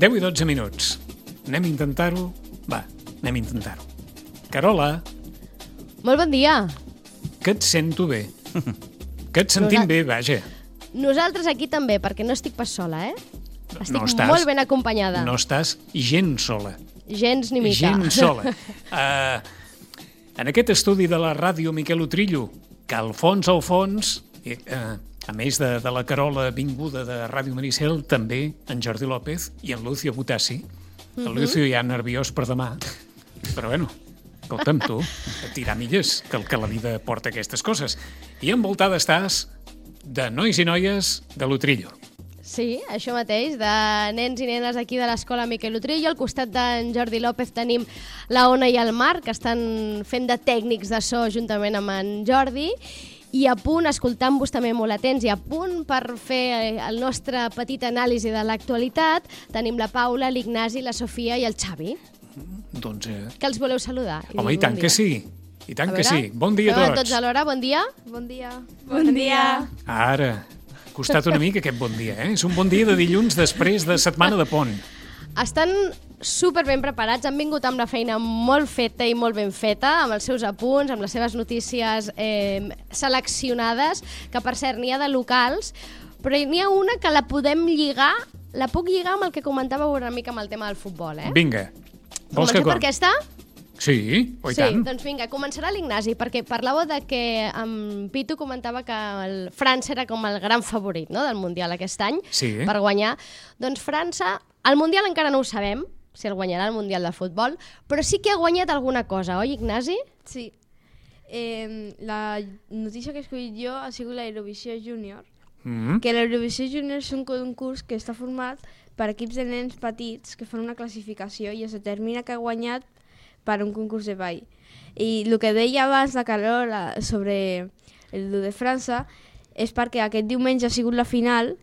10 i 12 minuts. Anem a intentar-ho? Va, anem a intentar-ho. Carola, Molt bon dia. que et sento bé. Que et sentim bé, vaja. Nosaltres aquí també, perquè no estic pas sola, eh? Estic No estàs- molt ben acompanyada. No estàs gens sola. Gens ni mica. Gens sola. En aquest estudi de la ràdio Miquel Utrillo, que al fons, a més de la Carola vinguda de Ràdio Maricel, també en Jordi López i en Lucio Butassi. El Lucio ja nerviós per demà. Però bueno, escolta'm tu, a tirar milles, que la vida porta aquestes coses. I envoltada estàs de nois i noies de l'Utrillo. Sí, això mateix, de nens i nenes aquí de l'escola Miquel Utrillo. Al costat d'en Jordi López tenim la Ona i el Marc, que estan fent de tècnics de so juntament amb en Jordi, i a punt, escoltant-vos també molt atents, i a punt per fer el nostre petit anàlisi de l'actualitat, tenim la Paula, l'Ignasi, la Sofia i el Xavi, Doncs, que els voleu saludar. home, i tant que sí. I tant A que veure, sí. Bon dia a fem tots. tots alhora, bon dia. Bon dia. Bon dia. Ara, ha costat una mica aquest bon dia, eh? És un bon dia de dilluns després de setmana de pont. Estan super ben preparats, han vingut amb la feina molt feta i molt ben feta, amb els seus apunts, amb les seves notícies seleccionades, que per cert n'hi ha de locals, però n'hi ha una que la podem lligar, la puc lligar amb el que comentàveu una mica amb el tema del futbol, eh? Vinga. Vols que Comencem per aquesta? Sí, oi tant. Doncs vinga, començarà l'Ignasi, perquè parlàveu de que en Pitu comentava que França era com el gran favorit, no?, del Mundial aquest any, Sí. per guanyar. Doncs França, el Mundial encara no ho sabem, si el guanyarà el Mundial de Futbol, però sí que ha guanyat alguna cosa, oi, Ignasi? Sí. La notícia que he escollit jo ha sigut l'Eurovisió Júnior, que l'Eurovisió Júnior és un concurs que està format per equips de nens petits que fan una classificació i es determina que ha guanyat per un concurs de ball. I el que deia abans la Carola sobre el de França és perquè aquest diumenge ha sigut la final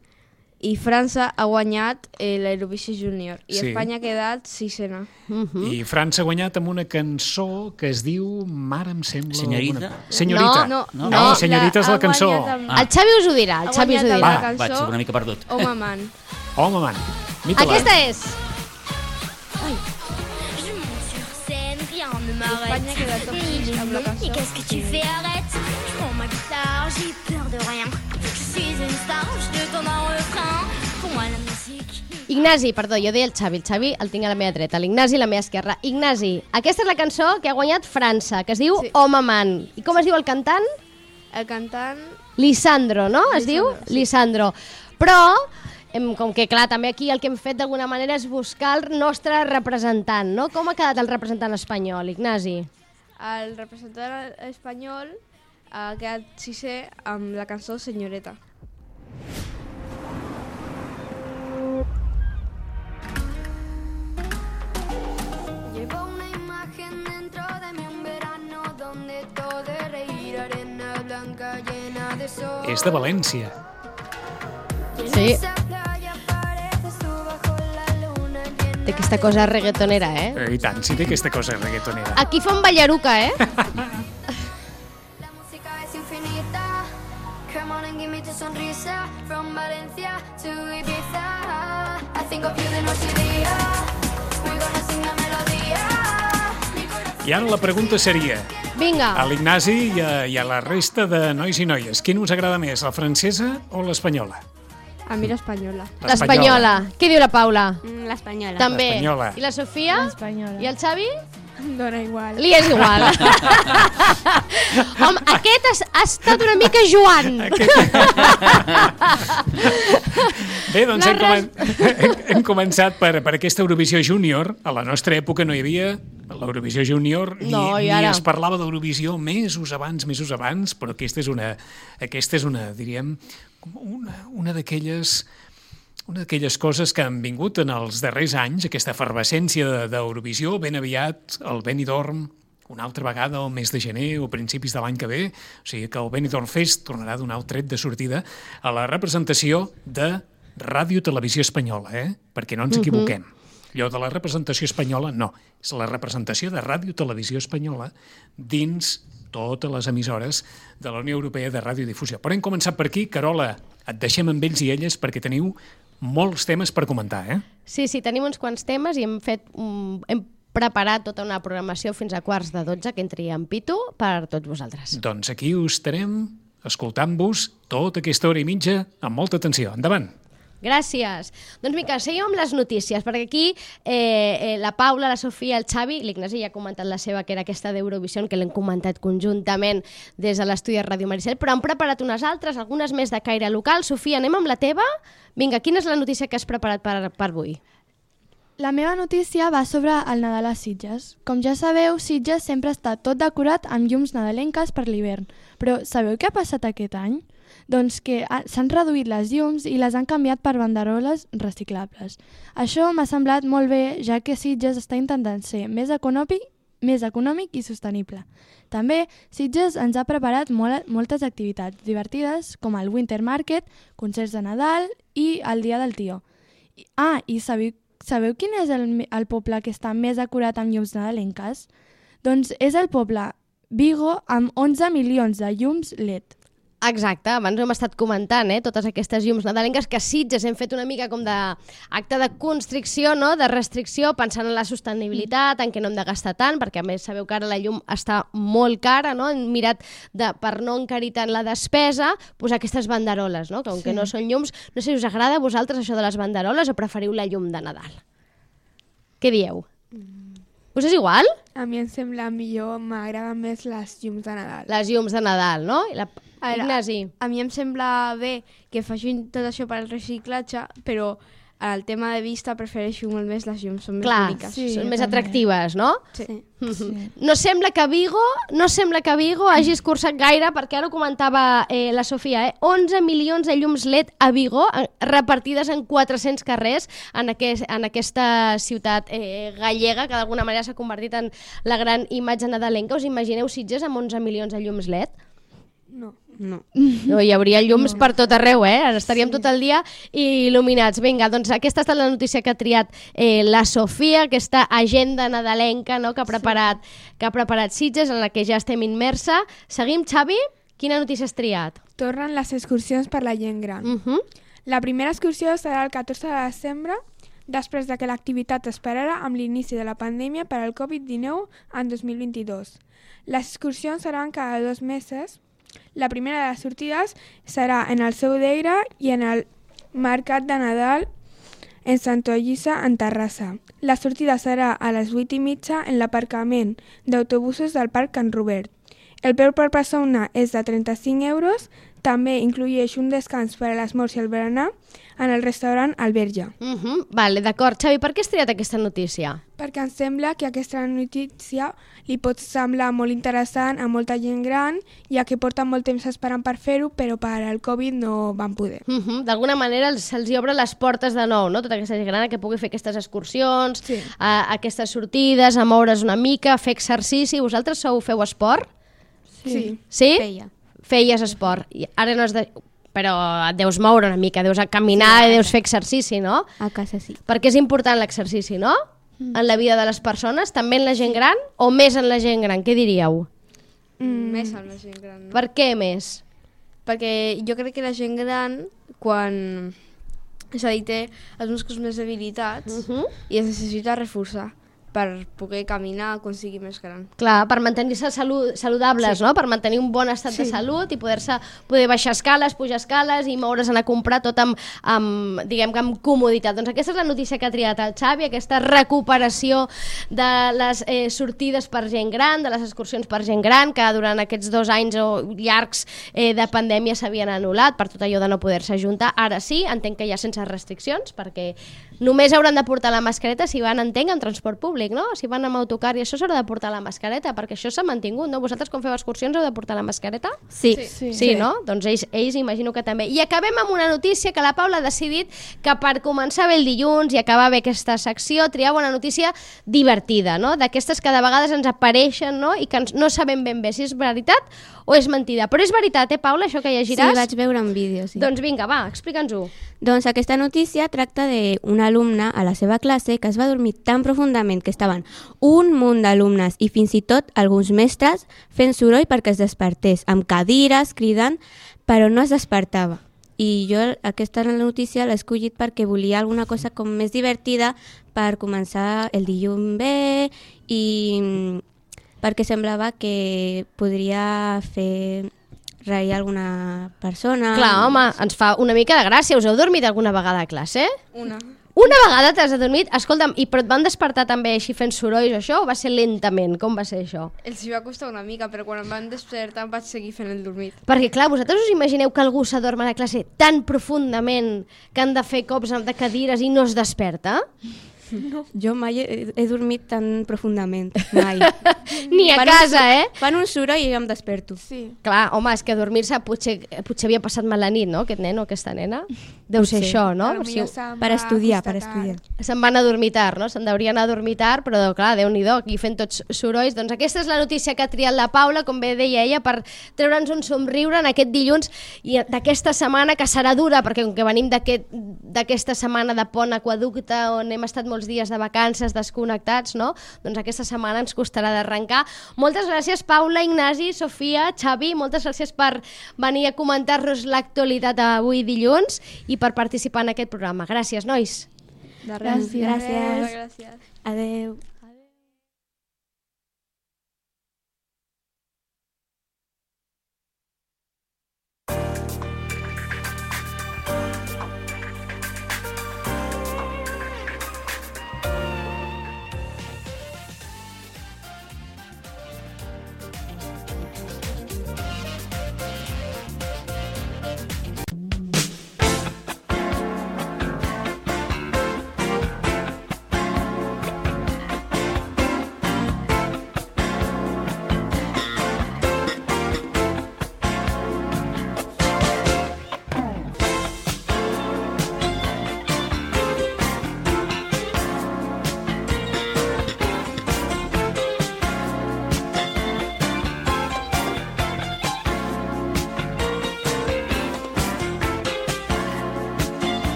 i França ha guanyat l'Eurovisió Júnior i Sí. Espanya ha quedat sisena. I França ha guanyat amb una cançó que es diu Mare em sembla... Senyorita? alguna- Senyorita. No, Senyorita és la cançó. El Xavi us ho dirà, el Ha Xavi us ho guanyat dirà. amb la Vaig, cançó una mica perdut. Home Man. Home, man. Mita-la. Aquesta és. Je monte sur scène, rien ne Espanya m'arrête. queda top 6 amb la cançó. Et qu'est-ce que tu fais? Arrête. Je prends ma guitare, j'ai peur de rien. Je suis une star, je te donne un refrain. Pour moi, la musique. Ignasi, perdó, jo deia el Xavi el tinc a la meva dreta, l'Ignasi a la meva esquerra. Ignasi, aquesta és la cançó que ha guanyat França, que es diu Sí. Home Man. I com es diu el cantant? El cantant... Lisandro, no? Es diu Lisandro, sí. Lisandro. Però, com que clar, també aquí el que hem fet d'alguna manera és buscar el nostre representant, no? Com ha quedat el representant espanyol, Ignasi? El representant espanyol ha quedat sisè amb la cançó Senyoreta. Llevo una imagen dentro de mí, un verano donde todo es reír, arena blanca llena de sol. És de València. Sí, Esa playa pareces tú bajo la luna llena. té aquesta cosa reggaetonera, eh? I tant, sí té aquesta cosa reggaetonera. Aquí fa un ballaruca, eh? La música es infinita. Come on and give me tu sonrisa. From Valencia to Ibiza. I think of you de noche y día. We're gonna sing la melodía. Mi corazón I ara la pregunta seria, a Vinga, l'Ignasi i a la resta de nois i noies, quin us agrada més, la francesa o l'espanyola? A mi l'espanyola. l'espanyola. Què diu la Paula? L'espanyola. També. L'espanyola. I la Sofia? L'espanyola. I el Xavi? Dóna igual. Li és igual. Home, aquest ha estat una mica Joan. Bé, doncs hem començat per aquesta Eurovisió Júnior. A la nostra època no hi havia l'Eurovisió Júnior, No, i ni ara? es parlava d'Eurovisió mesos abans, però aquesta és una diríem, una d'aquelles coses que han vingut en els darrers anys, aquesta efervescència d'Eurovisió. Ben aviat el Benidorm, una altra vegada al mes de gener o principis de l'any que ve, o sigui que el Benidorm Fest tornarà a donar el tret de sortida a la representació de Ràdio Televisió Espanyola, perquè no ens equivoquem. Allò de la representació espanyola, no. És la representació de Ràdio Televisió Espanyola dins totes les emissores de la Unió Europea de Radiodifusió. Però hem començat per aquí. Carola, et deixem amb ells i elles perquè teniu molts temes per comentar, eh? Sí, tenim uns quants temes i hem preparat tota una programació fins a 11:45 que entri en pitu per tots vosaltres. Doncs aquí us estarem escoltant-vos tota aquesta hora i mitja amb molta atenció. Endavant! Gràcies. Doncs Mica, seguim amb les notícies, perquè aquí la Paula, la Sofia, el Xavi, l'Ignasi ja ha comentat la seva, que era aquesta d'Eurovisió, que l'hem comentat conjuntament des de l'estudi de Ràdio Maricel, però han preparat unes altres, algunes més de caire local. Sofia, anem amb la teva? Vinga, quina és la notícia que has preparat per avui? La meva notícia va sobre el Nadal a Sitges. Com ja sabeu, Sitges sempre està tot decorat amb llums nadalenques per l'hivern. Però sabeu què ha passat aquest any? Doncs que s'han reduït les llums i les han canviat per banderoles reciclables. Això m'ha semblat molt bé, ja que Sitges està intentant ser més econòmic i sostenible. També Sitges ens ha preparat moltes activitats divertides, com el Winter Market, concerts de Nadal i el Dia del Tió. I sabeu quin és el poble que està més decorat amb llums nadalenques? Doncs és el poble Vigo, amb 11 milions de llums LED. Exacte, abans ho hem estat comentant, totes aquestes llums nadalenques que a Sitges hem fet una mica com d'acte de constricció, no? De restricció, pensant en la sostenibilitat, en què no hem de gastar tant, perquè a més sabeu que ara la llum està molt cara, no? Hem mirat per no encarir tant la despesa, posar aquestes banderoles, no? Que no són llums. No sé si us agrada a vosaltres això de les banderoles o preferiu la llum de Nadal. Què dieu? Us és igual? A mi em sembla millor, m'agraden més les llums de Nadal. Les llums de Nadal, no? Ignasi. A mi em sembla bé que facin tot això per al reciclatge, però el tema de vista prefereixo molt més les llums, són més boniques. Sí, són més atractives, no? Sí. No sembla que Vigo hagi escurçat gaire, perquè ara ho comentava la Sofia, 11 milions de llums LED a Vigo, repartides en 400 carrers en aquesta ciutat gallega, que d'alguna manera s'ha convertit en la gran imatge nadalenca. Us imagineu Sitges amb 11 milions de llums LED? No. Hi hauria llums per tot arreu, estaríem tot el dia il·luminats. Vinga, doncs aquesta ha estat la notícia que ha triat la Sofia, aquesta agenda nadalenca, no? que ha preparat Sitges, en la que ja estem immersa. Seguim, Xavi? Quina notícia has triat? Tornen les excursions per la gent gran. La primera excursió serà el 14 de desembre, després de que l'activitat es parara amb l'inici de la pandèmia per al Covid-19 en 2022. Les excursions seran cada 2 mesos. La primera de les sortides serà en el Seu d'Eira i en el Mercat de Nadal en Santolliça, en Terrassa. La sortida serà a les 8:30 en l'aparcament d'autobusos del Parc Can Robert. El preu per persona és de 35 euros. També inclueix un descans per a l'esmorzar i el berenar en el restaurant Alberja. Vale, d'acord. Xavi, per què has triat aquesta notícia? Perquè em sembla que aquesta notícia li pot semblar molt interessant a molta gent gran, ja que porten molt temps esperant per fer-ho, però per al Covid no van poder. D'alguna manera se'ls obre les portes de nou, no? Tota aquesta gent gran que pugui fer aquestes excursions, aquestes sortides, a moure's una mica, fer exercici. Vosaltres feu esport? Sí. Sí? Feies esport. Ara no has de... Però et deus moure una mica, deus caminar i deus fer exercici, no? A casa sí. Perquè és important l'exercici, no? En la vida de les persones, també en la gent gran o més en la gent gran? Què diríeu? Més en la gent gran. No? Per què més? Perquè jo crec que la gent gran, quan... És a dir, té els músculs més debilitats i es necessita reforçar per poder caminar quan sigui més gran. Clar, per mantenir-se saludables, no? Per mantenir un bon estat de salut i poder baixar escales, pujar escales i moure's, anar a comprar tot diguem que amb comoditat. Doncs aquesta és la notícia que ha triat el Xavi, aquesta recuperació de les sortides per gent gran, de les excursions per gent gran, que durant aquests 2 anys llargs de pandèmia s'havien anul·lat per tot allò de no poder-se ajuntar. Ara sí, entenc que ja sense restriccions, perquè només hauran de portar la mascareta si van, entenc, en transport públic, no? Si van amb autocar i això s'haurà de portar la mascareta, perquè això s'ha mantingut, no? Vosaltres quan feu excursions heu de portar la mascareta? Sí, no? Doncs ells imagino que també. I acabem amb una notícia que la Paula ha decidit que per començar bé el dilluns i acabar bé aquesta secció triava una notícia divertida, no? D'aquestes que de vegades ens apareixen, no? I que no sabem ben bé si és veritat o és mentida. Però és veritat, Paula, això que llegiràs? Sí, vaig veure en vídeo, sí. Doncs vinga, va, explica'ns-ho. Doncs aquesta notícia tracta d'un alumne a la seva classe que es va dormir tan profundament que estaven un munt d'alumnes i fins i tot alguns mestres fent soroll perquè es despertés, amb cadires, cridant, però no es despertava. I jo aquesta notícia l'he escollit perquè volia alguna cosa com més divertida per començar el dilluns bé i perquè semblava que podria fer reir alguna persona. Clar, home, ens fa una mica de gràcia. Us heu dormit alguna vegada a classe? Una vegada t'has adormit? Escolta'm, però et van despertar també així fent sorolls o això, o va ser lentament? Com va ser això? Els hi va costar una mica, però quan em van despertar vaig seguir fent el dormit. Perquè, clar, vosaltres us imagineu que algú s'adorm a la classe tan profundament que han de fer cops de cadires i no es desperta? No. Jo mai he dormit tan profundament, mai. Ni a casa, Fan un soroll i jo em desperto. Sí. Clar, home, és que dormir-se potser havia passat mal la nit, no?, aquest nen o aquesta nena. Deu ser això, no? Per estudiar. Se'n van a dormir tard, no? Se'n deurien anar a dormir tard, però clar, Déu-n'hi-do, aquí fent tots sorolls. Doncs aquesta és la notícia que ha triat la Paula, com bé deia ella, per treure'ns un somriure en aquest dilluns i d'aquesta setmana, que serà dura, perquè com que venim d'aquesta setmana de pont aqueducte, on hem estat molts dies de vacances desconnectats, no? Doncs aquesta setmana ens costarà d'arrencar. Moltes gràcies, Paula, Ignasi, Sofia, Xavi, moltes gràcies per venir a comentar-nos l'actualitat avui dilluns i per participar en aquest programa. Gràcies, nois. De res. Gràcies. Adeu.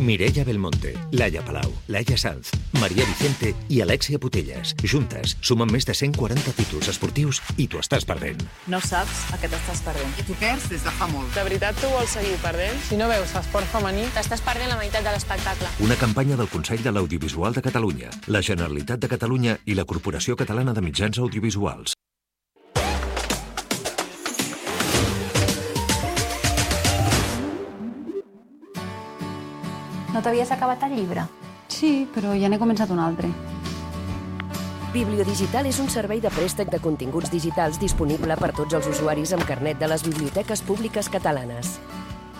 Mireia Belmonte, Laia Palau, Laia Sanz, Maria Vicente i Alexia Putellas. Juntes sumen més de 140 títols esportius i t'ho estàs perdent. No saps a què t'estàs perdent. I t'ho perds des de fa molt. De veritat tu vols seguir perdent? Si no veus esport femení, t'estàs perdent la meitat de l'espectacle. Una campanya del Consell de l'Audiovisual de Catalunya, la Generalitat de Catalunya i la Corporació Catalana de Mitjans Audiovisuals. No t'havies acabat el llibre? Sí, però ja n'he començat un altre. Bibliodigital és un servei de préstec de continguts digitals disponible per tots els usuaris amb carnet de les biblioteques públiques catalanes.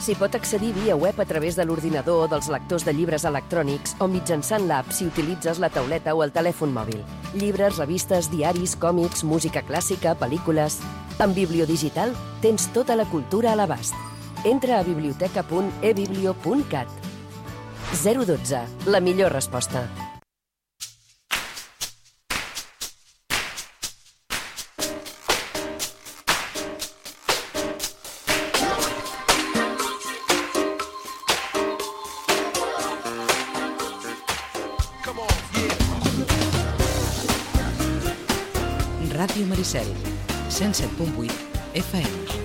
S'hi pot accedir via web a través de l'ordinador o dels lectors de llibres electrònics o mitjançant l'app si utilitzes la tauleta o el telèfon mòbil. Llibres, revistes, diaris, còmics, música clàssica, pel·lícules... Amb Bibliodigital tens tota la cultura a l'abast. Entra a biblioteca.ebiblio.cat. 012, la millor resposta. Ràdio Maricel, 107.8 FM.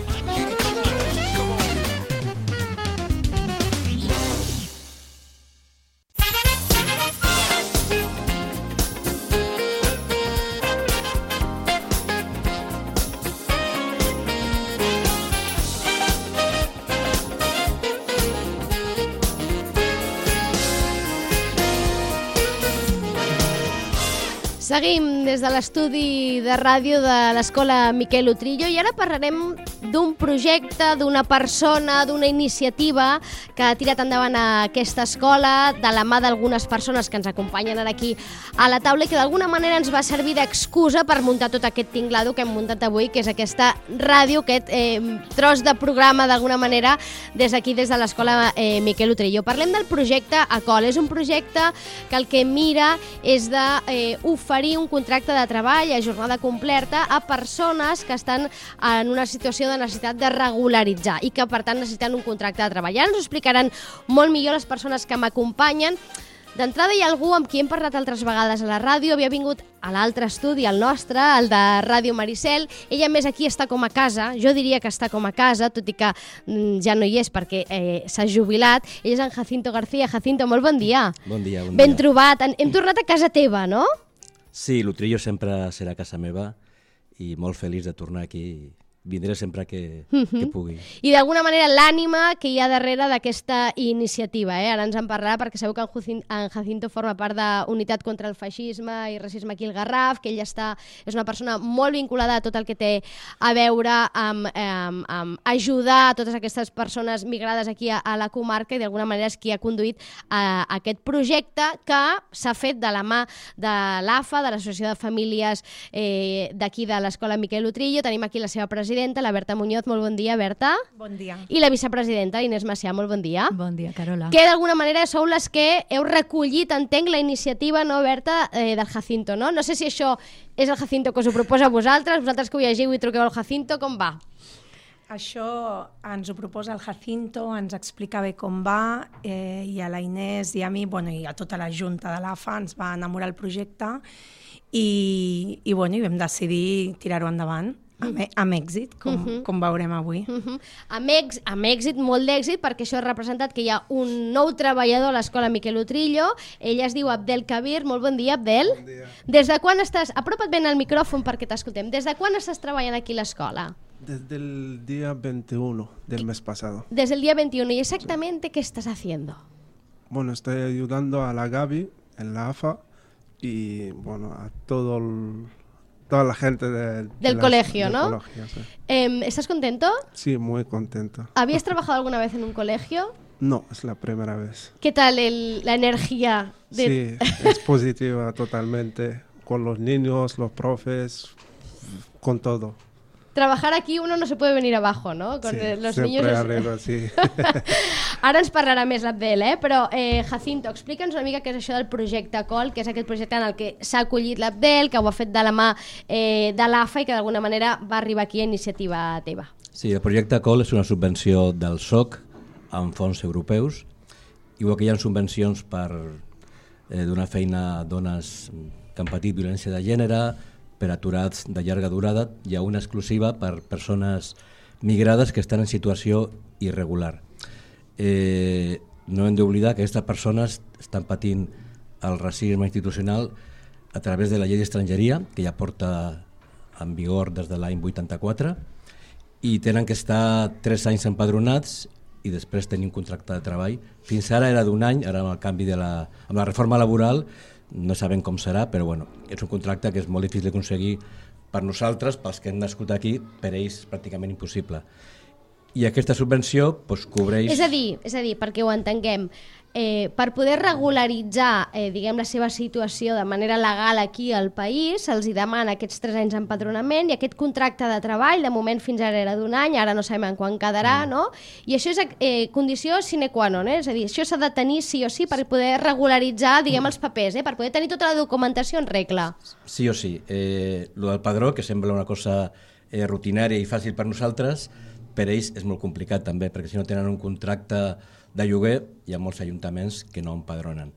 Seguim des de l'estudi de ràdio de l'Escola Miquel Utrillo i ara parlarem d'un projecte, d'una persona, d'una iniciativa que ha tirat endavant aquesta escola de la mà d'algunes persones que ens acompanyen ara aquí a la taula i que d'alguna manera ens va servir d'excusa per muntar tot aquest tinglado que hem muntat avui, que és aquesta ràdio, aquest tros de programa d'alguna manera des d'aquí, des de l'Escola Miquel Utrillo. Parlem del projecte ACOL. És un projecte que el que mira és d'oferir un contracte de treball a jornada completa a persones que estan en una situació de necessitat de regularitzar i que per tant necessiten un contracte de treball. Ara ens ho explicaran molt millor les persones que m'acompanyen. D'entrada hi ha algú amb qui hem parlat altres vegades a la ràdio, havia vingut a l'altre estudi, el nostre, el de Ràdio Maricel. Ella més aquí està com a casa, jo diria que està com a casa, tot i que ja no hi és perquè s'ha jubilat. Ell és en Jacinto García. Jacinto, molt bon dia. Bon dia, bon dia. Ben trobat. Hem tornat a casa teva, no? Sí, l'Utrillo sempre serà casa meva i molt feliç de tornar aquí. Vindré sempre que pugui. I d'alguna manera l'ànima que hi ha darrere d'aquesta iniciativa. Ara ens en parlarà perquè sabeu que en Jacinto forma part d'Unitat contra el Feixisme i Racisme aquí al Garraf, que ell és una persona molt vinculada a tot el que té a veure amb ajudar a totes aquestes persones migrades aquí a la comarca, i d'alguna manera és qui ha conduït aquest projecte que s'ha fet de la mà de l'AFA, de l'Associació de Famílies d'aquí de l'Escola Miquel Utrillo. Tenim aquí la seva presidenta, la Berta Muñoz. Molt bon dia, Berta. Bon dia. I la vicepresidenta, Inés Macià. Molt bon dia. Bon dia, Carola. Que d'alguna manera sou les que heu recollit, entenc, la iniciativa, no, Berta, del Jacinto, no? No sé si això és el Jacinto que us ho proposa a vosaltres que ho llegiu i truqueu al Jacinto, com va? Això ens ho proposa el Jacinto, ens explica bé com va, i a la Inés i a mi, i a tota la junta de l'AFA ens va enamorar el projecte i vam decidir tirar-ho endavant. Amb èxit, com veurem avui. Amb èxit, molt d'èxit, perquè això ha representat que hi ha un nou treballador a l'Escola Miquel Utrillo. Ell es diu Abdel Kabir. Molt bon dia, Abdel. Bon dia. Des de quan estàs... Apropa't ben al micròfon perquè t'escoltem. Des de quan estàs treballant aquí a l'escola? Desde el día 21 del mes pasado. Desde el día 21. ¿Y exactamente qué estás haciendo? Bueno, estoy ayudando a la Gaby en la AFA y a toda la gente del colegio, ¿no? Colegio, sí. ¿Estás contento? Sí, muy contento. ¿Habías trabajado alguna vez en un colegio? No, es la primera vez. ¿Qué tal la energía? Sí, es positiva totalmente, con los niños, los profes, con todo. Trabajar aquí uno no se puede venir abajo, ¿no? Con los niños arriba, sí. Ara ens parlarà més l'Abdel, però Jacinto, explica'ns una mica què és això del projecte COL, que és aquest projecte en el que s'ha acollit l'Abdel, que ho ha fet de la mà de l'AFA i que d'alguna manera va arribar aquí a iniciativa teva. Sí, el projecte COL és una subvenció del SOC amb fons europeus, igual que hi ha subvencions per donar feina a dones que han patit violència de gènere, per aturats de llarga durada, hi ha una exclusiva per persones migrades que estan en situació irregular. No hem d'oblidar que aquestes persones estan patint el racisme institucional a través de la llei d'estrangeria, que ja porta en vigor des de l'any 84, i tenen que estar 3 anys empadronats i després tenir un contracte de treball. Fins ara era d'1 any, ara amb el canvi amb la reforma laboral no sabem com serà, però és un contracte que és molt difícil d'aconseguir per nosaltres, pels que hem nascut aquí, per ells pràcticament impossible. I aquesta subvenció cobreix... És a dir, perquè ho entenguem, per poder regularitzar diguem, la seva situació de manera legal aquí al país, se'ls demana aquests 3 anys d'empadronament i aquest contracte de treball, de moment fins ara era d'1 any, ara no sabem quan quedarà, no? I això és condició sine qua non, és a dir, això s'ha de tenir sí o sí per poder regularitzar, diguem, els papers, per poder tenir tota la documentació en regla. Sí o sí. Lo del padró, que sembla una cosa rutinària i fàcil per nosaltres, per ells és molt complicat també, perquè si no tenen un contracte de lloguer, hi ha molts ajuntaments que no empadronen.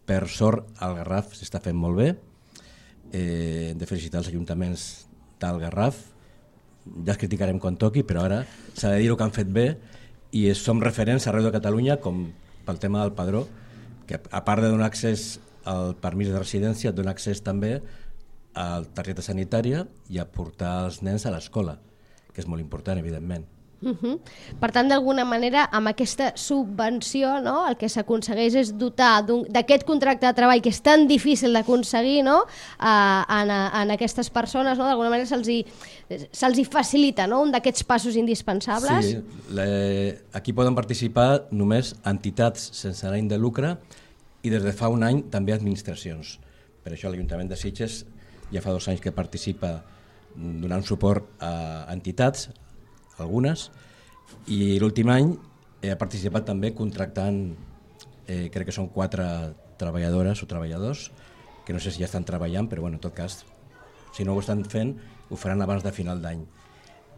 Per sort, al Garraf s'està fent molt bé. Hem de felicitar els ajuntaments del Garraf. Ja els criticarem quan toqui, però ara s'ha de dir el que han fet bé i som referents arreu de Catalunya, com pel tema del padró, que a part de donar accés al permís de residència, dona accés també a la targeta sanitària i a portar els nens a l'escola, que és molt important, evidentment. Per tant, d'alguna manera, amb aquesta subvenció, no, el que s'aconsegueix és dotar d'aquest contracte de treball que és tan difícil d'aconseguir, no, en aquestes persones, no, d'alguna manera se'ls facilita, no, un d'aquests passos indispensables. Sí, aquí poden participar només entitats sense ànim de lucre i des de fa 1 any també administracions. Per això l'Ajuntament de Sitges ja fa 2 anys que participa donant suport a entitats, algunes, i l'últim any ha participat també contractant, crec que són 4 treballadores o treballadors, que no sé si ja estan treballant, però en tot cas, si no ho estan fent, ho faran abans de final d'any.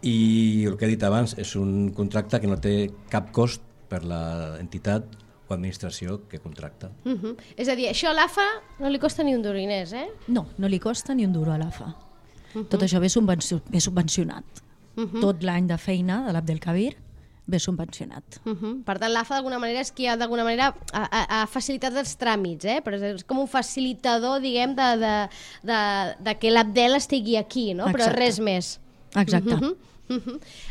I el que he dit abans és un contracte que no té cap cost per l'entitat o administració que contracta. És a dir, això a l'AFA no li costa ni un duro, Inés, eh? No, no li costa ni un duro a l'AFA. Tot això ve subvencionat. Tot l'any de feina de l'Abdelkabir ve subvencionat. Per tant, l'AFA d'alguna manera és qui d'alguna manera ha facilitat els tràmits, però és com un facilitador, diguem, de que l'Abdel estigui aquí, no? Però res més. Exacte.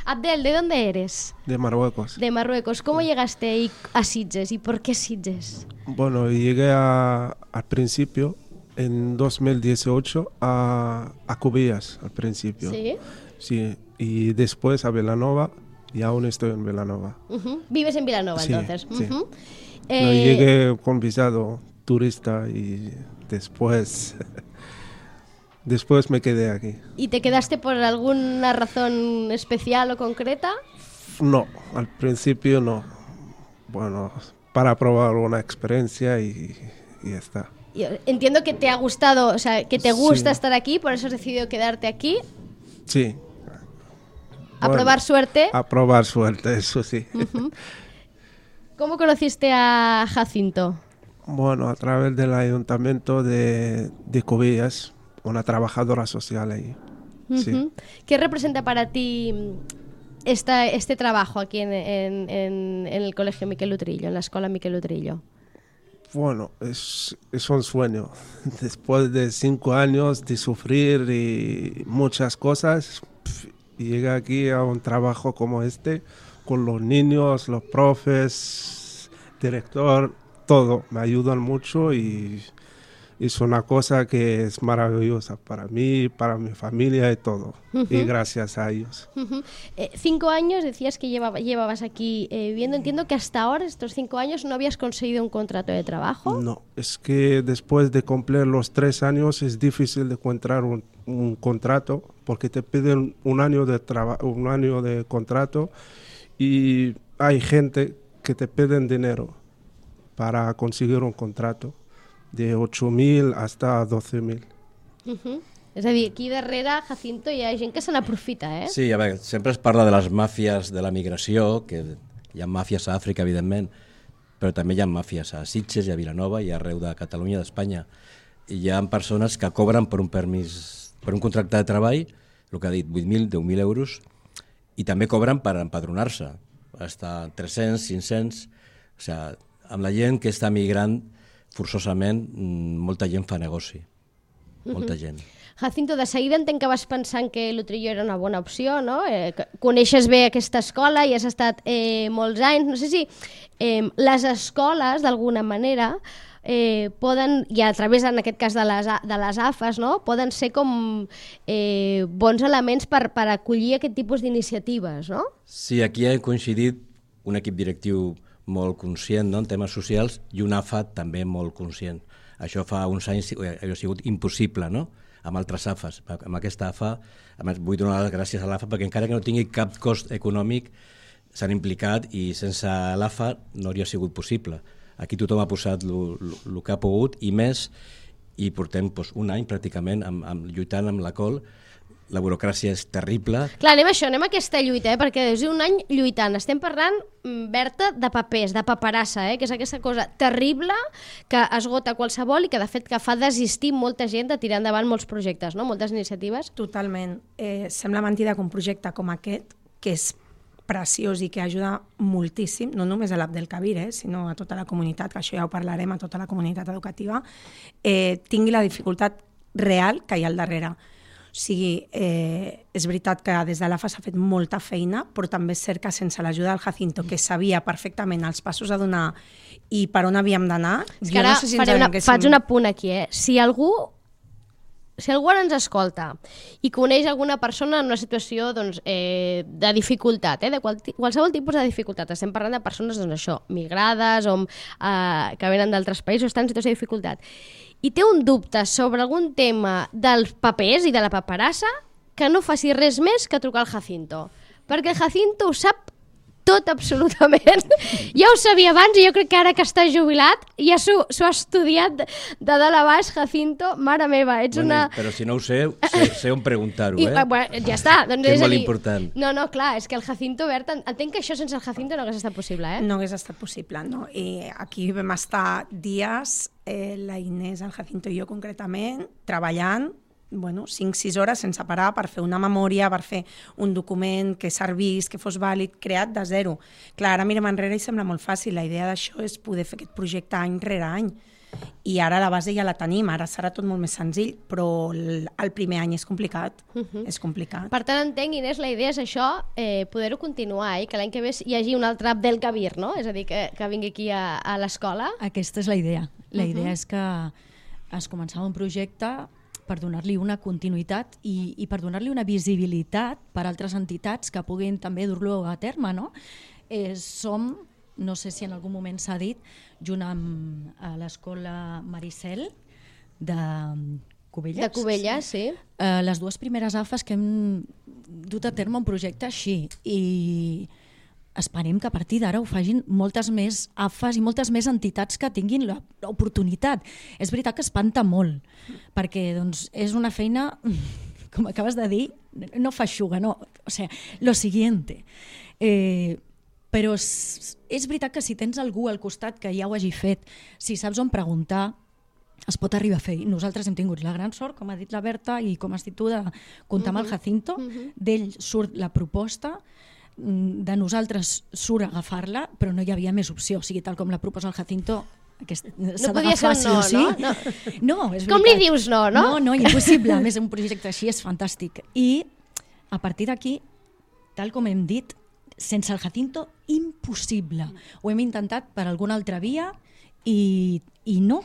Abdel, ¿de dónde eres? De Marruecos. De Marruecos. ¿Cómo llegaste a Sitges y por qué Sitges? Bueno, llegué al principio, en 2018, a Cubillas, al principio. ¿Sí? Sí, y después a Vilanova, y aún estoy en Vilanova. ¿Vives en Vilanova, sí, entonces? Sí. Llegué con visado turista y después me quedé aquí. ¿Y te quedaste por alguna razón especial o concreta? No, al principio no. Bueno, para probar una experiencia y ya está. Entiendo que te ha gustado, o sea, que te gusta estar aquí, por eso has decidido quedarte aquí. Sí. A probar suerte. A probar suerte, eso sí. ¿Cómo conociste a Jacinto? Bueno, a través del ayuntamiento de Cubillas, una trabajadora social ahí. Sí. ¿Qué representa para ti este trabajo aquí en el Colegio Miquel Utrillo, en la Escuela Miquel Utrillo? Bueno, es un sueño. Después de 5 años de sufrir y muchas cosas, llegar aquí a un trabajo como este, con los niños, los profes, director, todo, me ayudan mucho y es una cosa que es maravillosa para mí, para mi familia y todo. Y gracias a ellos. 5 años, decías que llevabas aquí viviendo. Entiendo que hasta ahora, estos 5 años, no habías conseguido un contrato de trabajo. No, es que después de cumplir los 3 años es difícil de encontrar un contrato porque te piden un año de contrato y hay gente que te piden dinero para conseguir un contrato de 8.000 hasta 12.000. És a dir, aquí darrere, Jacinto, hi ha gent que se n'aprofita, eh? Sí, a veure, sempre es parla de les màfies de la migració, que hi ha màfies a Àfrica, evidentment, però també hi ha màfies a Sitges i a Vilanova i arreu de Catalunya, d'Espanya. I hi ha persones que cobren per un permís, per un contracte de treball, el que ha dit, 8.000, 10.000 euros, i també cobren per empadronar-se, hasta 300, 500... O sigui, amb la gent que està migrant, forçosament, molta gent fa negoci. Molta gent. Jacinto, de seguida entenc que vas pensant que l'Utrillo era una bona opció, no? Coneixes bé aquesta escola i has estat molts anys. No sé si les escoles, d'alguna manera, poden, i a través, en aquest cas, de les AFAs, no? Poden ser com bons elements per acollir aquest tipus d'iniciatives, no? Sí, aquí ha coincidit un equip directiu molt conscient, no?, en temes socials, i una AFA també molt conscient. Això fa uns anys ha sigut impossible, no?, amb altres AFAs. Amb aquesta AFA, a més, vull donar les gràcies a l'AFA perquè encara que no tingui cap cost econòmic, s'han implicat i sense l'AFA no hauria sigut possible. Aquí tothom ha posat el que ha pogut i més, i portem un any pràcticament lluitant amb la col. La burocràcia és terrible. Clar, anem a aquesta lluita, perquè des d'un any lluitant. Estem parlant, Berta, de papers, de paperassa, que és aquesta cosa terrible que esgota qualsevol i que, de fet, que fa desistir molta gent de tirar endavant molts projectes, no? Moltes iniciatives. Totalment. Sembla mentida que un projecte com aquest, que és preciós i que ajuda moltíssim, no només a l'Abdelkabir, sinó a tota la comunitat, que això ja ho parlarem, a tota la comunitat educativa, tingui la dificultat real que hi ha al darrere. O sigui, és veritat que des de l'AFA s'ha fet molta feina, però també és cert que sense l'ajuda del Jacinto, que sabia perfectament els passos a donar i per on havíem d'anar, jo no sé si faig un apunt aquí, Si algú ara ens escolta i coneix alguna persona en una situació de dificultat, de qualsevol tipus de dificultat, estem parlant de persones migrades o que venen d'altres països, estan en situació de dificultat, i té un dubte sobre algun tema dels papers i de la paperassa, que no faci res més que trucar al Jacinto, perquè el Jacinto ho sap tot absolutament. Ja ho sabia abans i jo crec que ara que està jubilat ja s'ho ha estudiat de dalt a baix, Jacinto. Mare meva, ets una... Però si no ho sé on preguntar-ho, Bueno, ja està. Doncs que és molt important. No, clar, és que el Jacinto Berta... Entenc que això sense el Jacinto no hagués estat possible, No hagués estat possible, no. I aquí vam estar dies, la Inés, el Jacinto i jo concretament, treballant 5-6 hores sense parar per fer una memòria, per fer un document que servís, que fos vàlid, creat de zero. Clar, ara mirem enrere i sembla molt fàcil. La idea d'això és poder fer aquest projecte any rere any. I ara la base ja la tenim, ara serà tot molt més senzill, però el primer any és complicat. És complicat. Per tant, entenc, Inés, la idea és això, poder-ho continuar, i que l'any que ve hi hagi un altre Abdelkabir, no? És a dir, que vingui aquí a l'escola. Aquesta és la idea. La idea és que es començava un projecte per donar-li una continuïtat i per donar-li una visibilitat per altres entitats que puguin també dur-lo a terme, no? Som, no sé si en algun moment s'ha dit, junt amb l'escola Maricel de Cubelles. De Cubelles, sí. Les dues primeres AFAs que hem dut a terme un projecte així, i esperem que a partir d'ara ho facin moltes més AFAs i moltes més entitats que tinguin l'oportunitat. És veritat que espanta molt, perquè doncs, és una feina, com acabes de dir, no feixuga, no, o sigui, lo siguiente. Però és veritat que si tens algú al costat que ja ho hagi fet, si saps on preguntar, es pot arribar a fer. Nosaltres hem tingut la gran sort, com ha dit la Berta, i com has dit tu, de comptar amb el Jacinto. D'ell surt la proposta, de nosaltres surt agafar-la, però no hi havia més opció. O sigui, tal com la proposa el Jacinto, no podia ser un no, no? No, és veritat. Com li dius no, no? No, impossible. A més, un projecte així és fantàstic. I a partir d'aquí, tal com hem dit, sense el Jacinto, impossible. Ho hem intentat per alguna altra via i no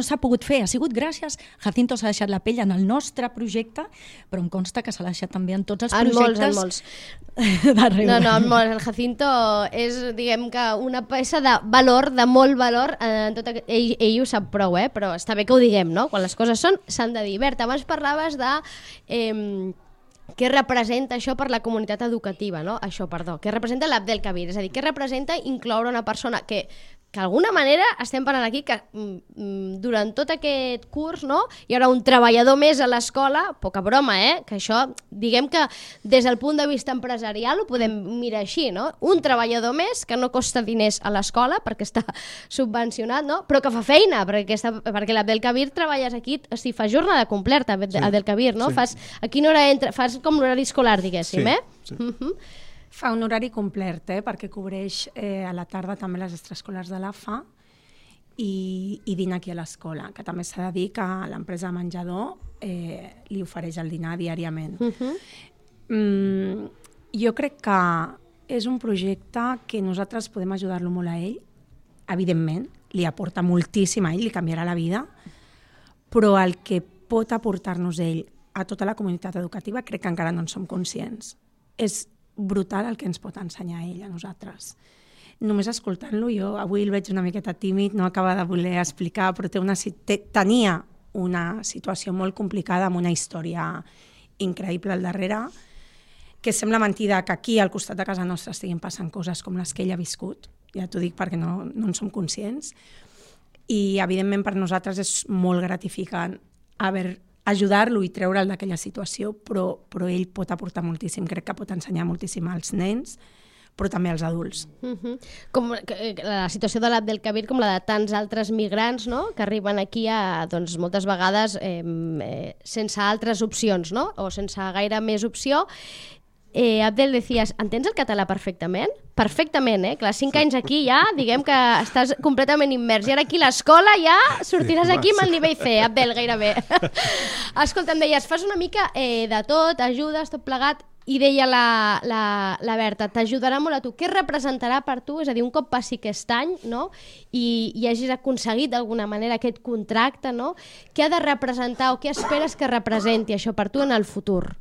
s'ha pogut fer. Ha sigut gràcies. Jacinto s'ha deixat la pell en el nostre projecte, però em consta que s'ha deixat també en tots els projectes. En molts. No, en molts. El Jacinto és, diguem que, una peça de valor, de molt valor. Ell ho sap prou, però està bé que ho diguem, no? Quan les coses s'han de dir. Berta, abans parlaves de... què representa això per la comunitat educativa, no? Què representa l'Abdelkabir? És a dir, què representa incloure una persona que d'alguna manera estem parlant aquí que durant tot aquest curs, no, hi haurà un treballador més a l'escola, poca broma, que això, diguem que des del punt de vista empresarial ho podem mirar així, no? Un treballador més que no costa diners a l'escola perquè està subvencionat, no? Però que fa feina, perquè l'Abdelkabir treballes aquí, o sigui, fas jornada completa, Abdelkabir, no? A quina hora entra? Fas com l'horari escolar, diguéssim, Sí. Fa un horari complet, perquè cobreix a la tarda també les extraescolars de l'AFA i dina aquí a l'escola, que també s'ha de dir que l'empresa de menjador li ofereix el dinar diàriament. Jo crec que és un projecte que nosaltres podem ajudar-lo molt a ell, evidentment, li aporta moltíssim a ell, li canviarà la vida, però el que pot aportar-nos ell a tota la comunitat educativa crec que encara no en som conscients. És brutal el que ens pot ensenyar ell a nosaltres. Només escoltant-lo, jo avui el veig una miqueta tímid, no acaba de voler explicar, però tenia una situació molt complicada amb una història increïble al darrere, que sembla mentida que aquí al costat de casa nostra estiguin passant coses com les que ell ha viscut, ja t'ho dic perquè no en som conscients, i evidentment per nosaltres és molt gratificant ajudar-lo i treure'l d'aquella situació, però ell pot aportar moltíssim, crec que pot ensenyar moltíssim als nens, però també als adults. Com la situació de l'Abdelkabir, com la de tants altres migrants, no?, que arriben aquí doncs, moltes vegades sense altres opcions, no?, o sense gaire més opció. Abdel, deies, entens el català perfectament? Perfectament, Clar, 5 anys aquí ja, diguem que estàs completament immers. I ara aquí a l'escola ja sortiràs aquí amb el nivell C, Abdel, gairebé. Escolta, em deies, fas una mica de tot, ajudes, tot plegat, i deia la Berta, t'ajudarà molt a tu. Què representarà per tu? És a dir, un cop passi aquest any, no?, i hagis aconseguit d'alguna manera aquest contracte, no?, què ha de representar o què esperes que representi això per tu en el futur?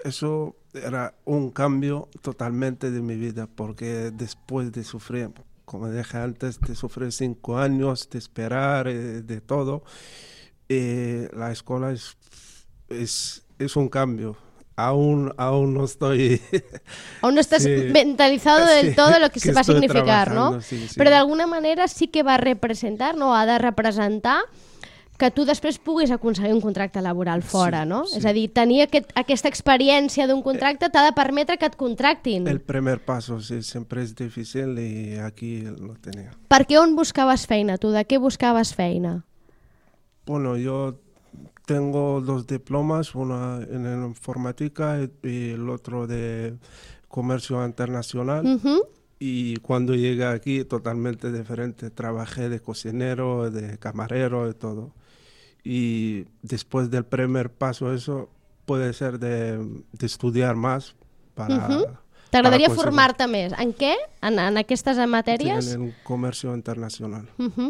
Eso era un cambio totalmente de mi vida, porque después de sufrir, como dije antes, de sufrir 5 años, de esperar, de todo, la escuela es un cambio. Aún no estoy... Aún no estás mentalizado del todo de lo que va a significar, ¿no? Sí. Però d'alguna manera sí que va representar, no? Ha de representar que tu després puguis aconseguir un contracte laboral fora, no? Sí. És a dir, tenir aquesta experiència d'un contracte t'ha de permetre que et contractin. El primer paso, sí, sempre és difícil i aquí lo tenia. Per què on buscaves feina, tu? De què buscaves feina? Bueno, yo tengo 2 diplomas, uno en informática y el otro de comercio internacional. Y cuando llegué aquí, totalmente diferente. Trabajé de cocinero, de camarero, de todo. Y después del primer paso, eso puede ser de estudiar más para... T'agradaria formar-te més. En què? En aquestes matèries? En el comercio internacional.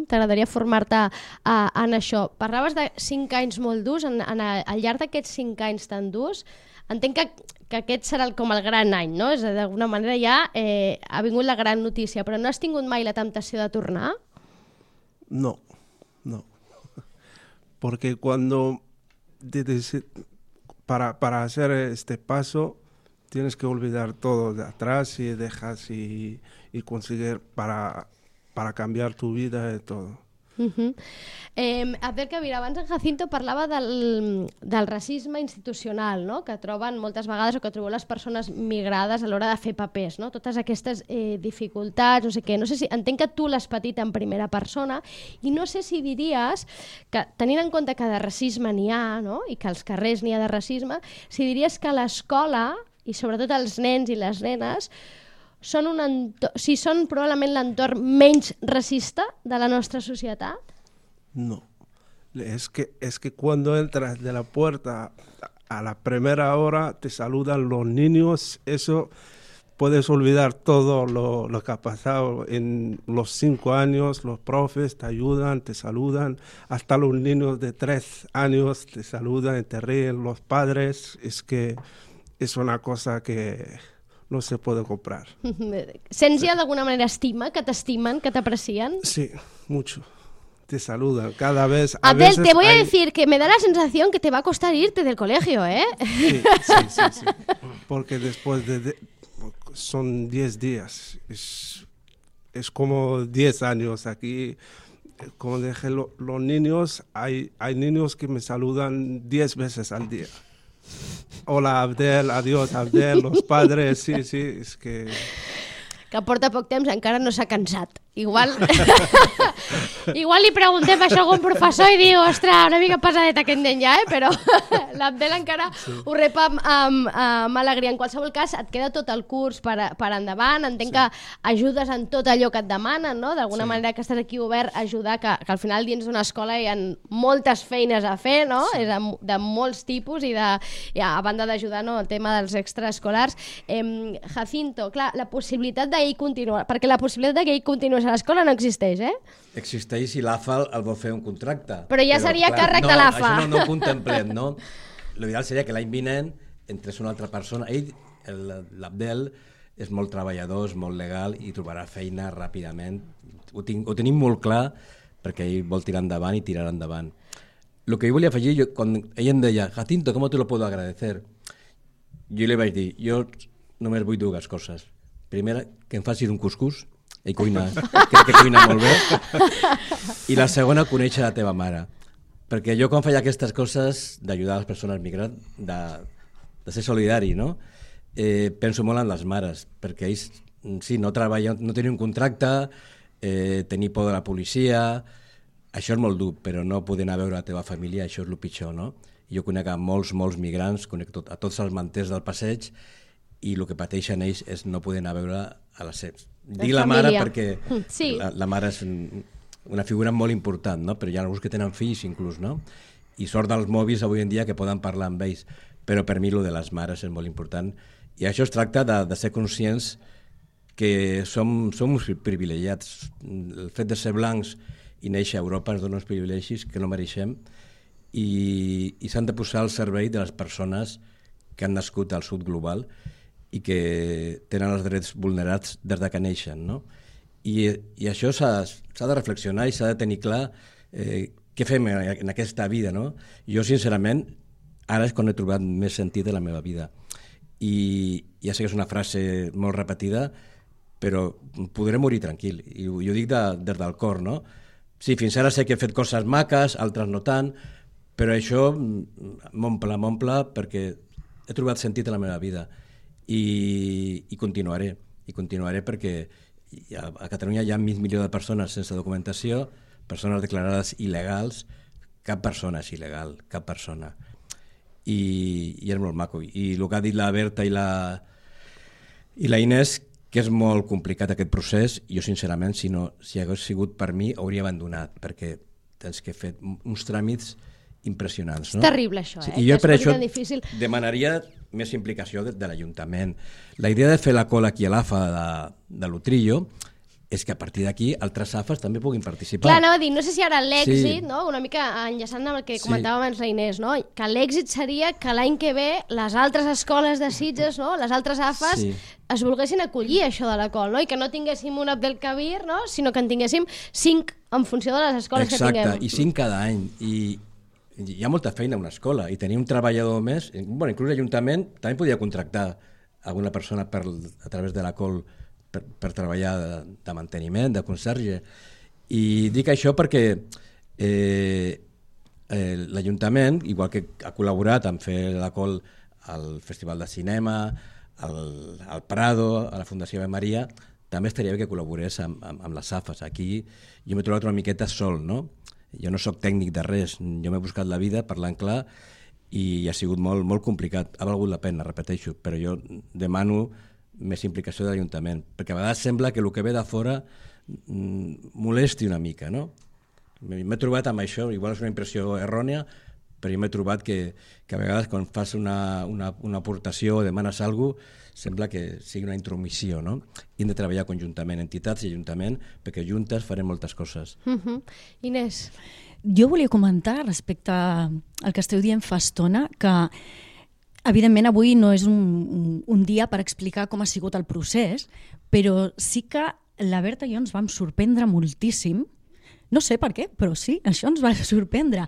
T'agradaria formar-te en això. Parlaves de 5 anys molt durs. Al llarg d'aquests 5 anys tan durs, entenc que aquest serà com el gran any, no? D'alguna manera ja ha vingut la gran notícia, però no has tingut mai la temptació de tornar? No. Porque cuando para hacer este paso tienes que olvidar todo de atrás y dejas y conseguir para cambiar tu vida y todo. Abel Kabir, abans en Jacinto parlava del racisme institucional, no? Que troben moltes vegades o que troben les persones migrades a l'hora de fer papers, no? Totes aquestes dificultats, no sé què. No sé si entenc que tu l'has patit en primera persona i no sé si diries que, tenint en compte que de racisme n'hi ha, no? I que als carrers n'hi ha de racisme, si diries que l'escola, i sobretot els nens i les nenes, són probablement l'entorn menys racista de la nostra societat? No. Es que cuando entras de la puerta a la primera hora te saludan los niños, eso puedes olvidar todo lo que ha pasado en los 5 años, los profes te ayudan, te saludan, hasta los niños de 3 años te saludan y te ríen, los padres, es que es una cosa que no se puede comprar. Sents ja d'alguna manera estima, que t'estimen, que t'aprecien? Sí, mucho. Te saludan cada vez. Abel, te voy a decir que me da la sensación que te va a costar irte del colegio, ¿eh? Sí. Porque después son 10 días. Es como 10 años aquí. Como dije, los niños, hay niños que me saludan 10 veces al día. Hola, Abdel, adiós, Abdel, los padres, sí, es que... Que porta poc temps encara no s'ha cansat. Igual li preguntem això a algun professor i diu, ostres, una mica pesadet aquest nen ja, però l'Abdel encara ho rep amb alegria. En qualsevol cas, et queda tot el curs per endavant, entenc que ajudes en tot allò que et demanen, no? D'alguna manera que estàs aquí obert a ajudar, que al final dins d'una escola hi ha moltes feines a fer, no? És de molts tipus i a banda d'ajudar el tema dels extraescolars. Jacinto, clar, la possibilitat d'ell continuar, perquè la possibilitat que ell continués a l'escola no existeix, eh? Existeix si l'AFA el vol fer un contracte. Però ja seria càrrec de l'AFA. Això no ho contemplem, no? L'ideal seria que l'any vinent entrés una altra persona. Ell, l'Abdel, és molt treballador, és molt legal i trobarà feina ràpidament. Ho tenim molt clar perquè ell vol tirar endavant i tirarà endavant. Lo que jo volia afegir, quan ell em deia, Jacinto, ¿cómo te lo puedo agradecer? Jo li vaig dir, jo només vull 2 coses. Primera, que em facis un cuscús, ell crec que cuina molt bé, i la segona, conèixer la teva mare. Perquè jo quan feia aquestes coses d'ajudar les persones migrants, de ser solidari, no? Penso molt en les mares, perquè ells, sí, no treballen, no tenen un contracte, tenir por de la policia, això és molt dur, però no poder anar a veure la teva família, això és el pitjor, no? Jo conec a molts migrants, conec a tots els manters del passeig, i el que pateixen ells és no poder anar a veure a la Dic la mare perquè la mare és una figura molt important, no? Però hi ha alguns que tenen fills inclús, no? I sort dels mòbils avui en dia que poden parlar amb ells, però per mi el de les mares és molt important. I això es tracta de ser conscients que som uns privilegiats. El fet de ser blancs i néixer a Europa ens dona uns privilegis que no mereixem i s'han de posar al servei de les persones que han nascut al sud global i que tenen els drets vulnerats des de que neixen, no? I això s'ha de reflexionar i s'ha de tenir clar què fem en aquesta vida, no? Jo, sincerament, ara és quan he trobat més sentit de la meva vida. I ja sé que és una frase molt repetida, però podré morir tranquil, i ho dic des del cor, no? Sí, fins ara sé que he fet coses maques, altres no tant, però això m'omple perquè he trobat sentit a la meva vida i continuaré perquè a Catalunya hi ha mig milió de persones sense documentació, persones declarades il·legals, cap persona és il·legal, cap persona. I és molt maco. I el que ha dit la Berta i la Inés, que és molt complicat aquest procés, jo sincerament, si hagués sigut per mi, hauria abandonat, perquè tens que fer uns tràmits impressionants. És terrible això, I jo per això difícil. demanaria més implicació de l'Ajuntament. La idea de fer la cola aquí a l'AFA de l'Utrillo és que a partir d'aquí altres AFAs també puguin participar. Clar, anava a dir, no sé si ara l'èxit, no? Una mica enllaçant amb el que comentava abans la Inés, no? Que l'èxit seria que l'any que ve les altres escoles de Sitges, no? Les altres AFAs es volguessin acollir això de la col, no? I que no tinguéssim un Abdelkabir, no? Sinó que en tinguéssim 5 en funció de les escoles que tinguem. Exacte, i 5 cada any. I hi ha molta feina a una escola i tenir un treballador més, inclús l'Ajuntament també podia contractar alguna persona a través de la col per treballar de manteniment, de conserge. I dic això perquè l'Ajuntament, igual que ha col·laborat en fer la col al Festival de Cinema, al Prado, a la Fundació Ave Maria, també estaria bé que col·laborés amb les AFAs. Aquí jo m'he trobat una miqueta sol, no? Jo no sóc tècnic de res, jo m'he buscat la vida parlant clar i ha sigut molt complicat. Ha valgut la pena, repeteixo, però jo demano més implicació de l'Ajuntament, perquè a vegades sembla que el que ve de fora molesti una mica, no? M'he trobat amb això, igual és una impressió errònia, però jo m'he trobat que a vegades quan fas una aportació o demanes alguna cosa, sembla que sigui una intromissió, no? I hem de treballar conjuntament, entitats i Ajuntament, perquè juntes farem moltes coses. Inés. Jo volia comentar respecte al que esteu dient fa estona, que evidentment avui no és un dia per explicar com ha sigut el procés, però sí que la Berta i jo ens vam sorprendre moltíssim, no sé per què, però sí, això ens va sorprendre.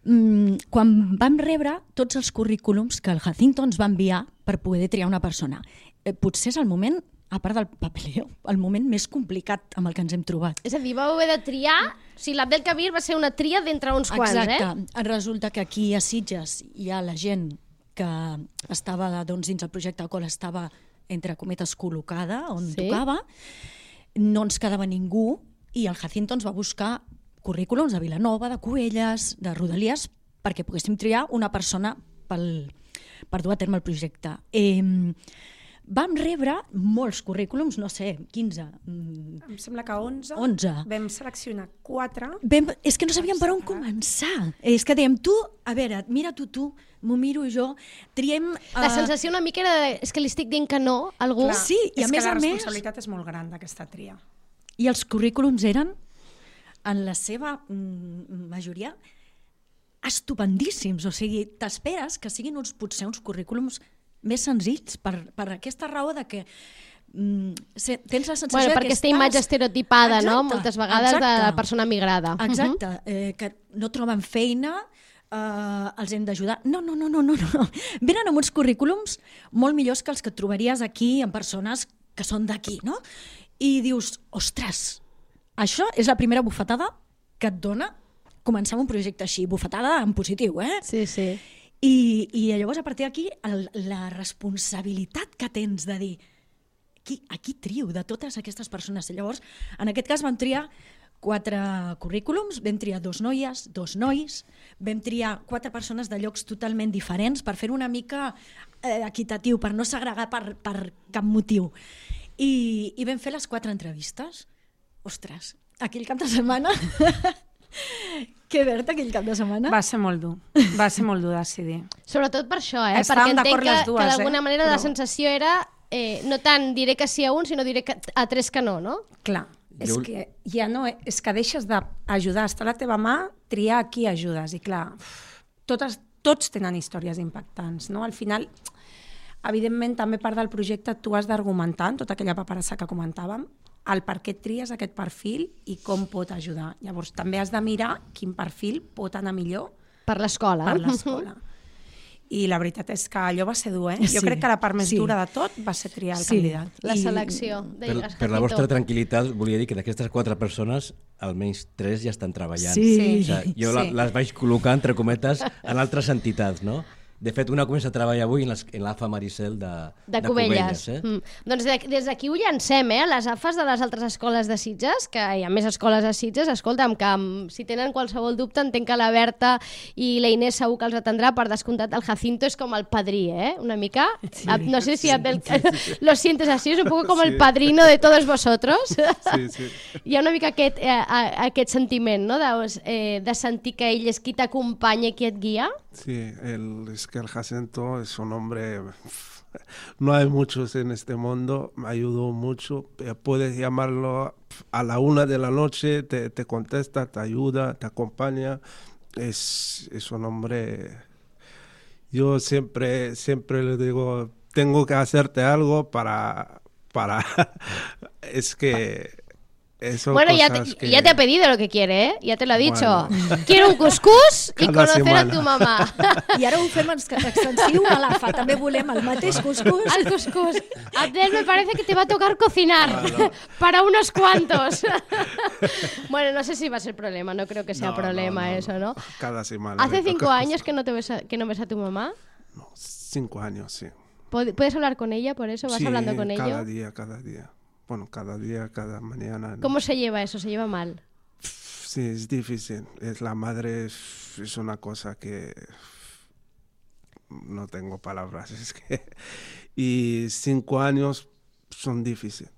Quan vam rebre tots els currículums que el Jacinto ens va enviar per poder triar una persona. Potser és el moment, a part del papeleo, el moment més complicat amb el que ens hem trobat. És a dir, vau haver de triar, o sigui, l'Abdelkabir va ser una tria d'entre uns quants, Exacte. Resulta que aquí a Sitges hi ha la gent que estava dins el projecte Col, estava, entre cometes, col·locada on tocava, no ens quedava ningú i el Jacinto ens va buscar currículums de Vilanova, de Cubelles, de Rodalies, perquè poguéssim triar una persona per dur a terme el projecte. Vam rebre molts currículums, no sé, 15. Em sembla que 11. 11. Vam seleccionar 4. És que no sabíem per on començar. És que dèiem, tu, a veure, mira tu, m'ho miro jo, triem... La sensació una mica era és que li estic dient que no a algú. Clar, sí, i a més la responsabilitat és molt gran d'aquesta tria. I els currículums eren, en la seva majoria, estupendíssims. O sigui, t'esperes que siguin potser uns currículums més senzills per aquesta raó de que tens la sensació perquè aquesta imatge estereotipada, no? Moltes vegades de la persona migrada. Exacte, que no troben feina, els hem d'ajudar. No. Venen amb uns currículums molt millors que els que trobaries aquí en persones que són d'aquí, no? I dius, ostres, això és la primera bufetada que et dona començar un projecte així, bufetada en positiu, Sí. I llavors a partir d'aquí la responsabilitat que tens de dir a qui trio de totes aquestes persones. Llavors, en aquest cas vam triar 4 currículums, vam triar 2 noies, 2 nois, vam triar 4 persones de llocs totalment diferents per fer una mica equitatiu, per no segregar per cap motiu. I vam fer les 4 entrevistes. Ostres, aquell cap de setmana... Que Berta, aquell cap de setmana? Va ser molt dur. Va ser molt dur decidir. Sobretot per això, perquè entenc que d'alguna manera la sensació era no tant diré que sí a un, sinó diré a 3 que no, no? Clar, és que ja no... És que deixes d'ajudar, està a la teva mà, triar a qui ajudes. I clar, tots tenen històries impactants, no? Al final, evidentment, també part del projecte tu has d'argumentar, tota aquella paperassa que comentàvem, el per què tries aquest perfil i com pot ajudar. Llavors, també has de mirar quin perfil pot anar millor per l'escola. i la veritat és que allò va ser dur, Jo Sí, crec que la part més sí. dura de tot va ser triar el Sí. candidat. La selecció. Per la vostra tranquil·litat, volia dir que d'aquestes 4 persones, almenys 3 ja estan treballant. Sí. O sigui, jo Sí. les vaig col·locar, entre cometes, en altres entitats, no? De fet, una comença a treballar avui en l'AFA Maricel de Cubelles. eh? Doncs des d'aquí ho llancem, les AFAs de les altres escoles de Sitges, que hi ha més escoles a Sitges, escolta'm, que si tenen qualsevol dubte, entenc que la Berta i la Inés segur que els atendrà, per descomptat, el Jacinto és com el padrí, una mica. Sí. No sé si lo sientes así, és un poco com el padrino de todos vosotros. Sí, sí. Hi ha una mica aquest sentiment, no?, de sentir que ell és qui t'acompanya i qui et guia. Sí, es que el Jacinto es un hombre, no hay muchos en este mundo, me ayudó mucho, puedes llamarlo a la 1 de la noche, te contesta, te ayuda, te acompaña, es un hombre, yo siempre le digo, tengo que hacerte algo para es que... Bueno, ya te ha pedido lo que quiere, ya te lo ha dicho. Bueno. Quiero un cuscús y conocer a tu mamá. I ara ho fem extensiu a l'AFA, també volem el mateix cuscús. El cuscús. Abdel, me parece que te va a tocar cocinar para unos cuantos. Bueno, no sé si va a ser problema, no creo que sea problema eso, ¿no? Cada semana. ¿Hace 5 años que no ves a tu mamá? No, 5 años, sí. ¿Puedes hablar con ella por eso? ¿Vas hablando con ella? Cada día. Bueno, cada día, cada mañana. ¿Cómo se lleva eso? ¿Se lleva mal? Sí, es difícil. La madre es una cosa que no tengo palabras. Es que... Y 5 años son difíciles.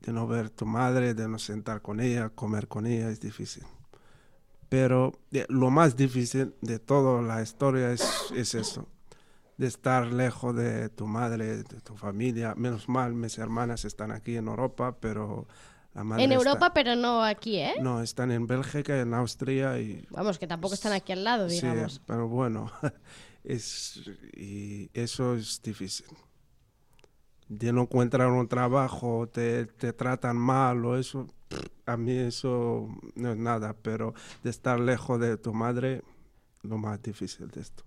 De no ver tu madre, de no sentar con ella, comer con ella, es difícil. Pero lo más difícil de toda la historia es eso. De estar lejos de tu madre, de tu familia. Menos mal, mis hermanas están aquí en Europa, pero la madre en Europa, está... pero no aquí, ¿eh? No, están en Bélgica, en Austria y... Vamos, que tampoco están aquí al lado, digamos. Sí, pero bueno, y eso es difícil. De no encontrar un trabajo, te tratan mal o eso, a mí eso no es nada, pero de estar lejos de tu madre, lo más difícil de esto.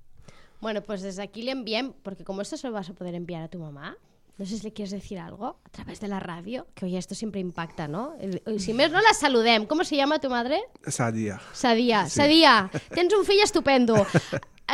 Bueno, pues desde aquí le envíen, porque como esto se lo vas a poder enviar a tu mamá, no sé si le quieres decir algo a través de la radio, que oye, esto siempre impacta, ¿no? Si més no la saludem. ¿Cómo se llama tu madre? Sadia. Sadia. Sí. Sadia, tens un fill estupendo.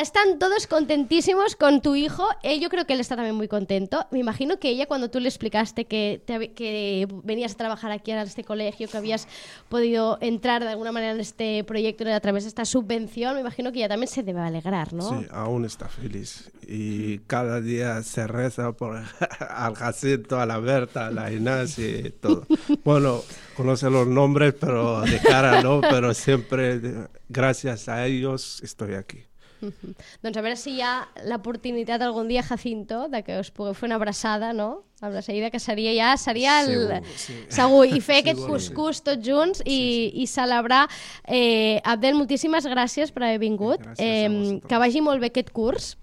Están todos contentísimos con tu hijo. Yo creo que él está también muy contento. Me imagino que ella, cuando tú le explicaste que venías a trabajar aquí a este colegio, que habías podido entrar de alguna manera en este proyecto a través de esta subvención, me imagino que ella también se debe alegrar, ¿no? Sí, aún está feliz. Y cada día se reza por al Jacinto, a la Berta, a la Inés y todo. Bueno, conoce los nombres, pero de cara no, pero siempre gracias a ellos estoy aquí. Doncs a veure si hi ha l'oportunitat algun dia, Jacinto, de que us pugueu fer una abraçada, no? Amb la seguida, que seria Segur, sí. segur. I fer aquest cuscús tots junts i celebrar. Abdel, moltíssimes gràcies per haver vingut. Que vagi molt bé aquest curs.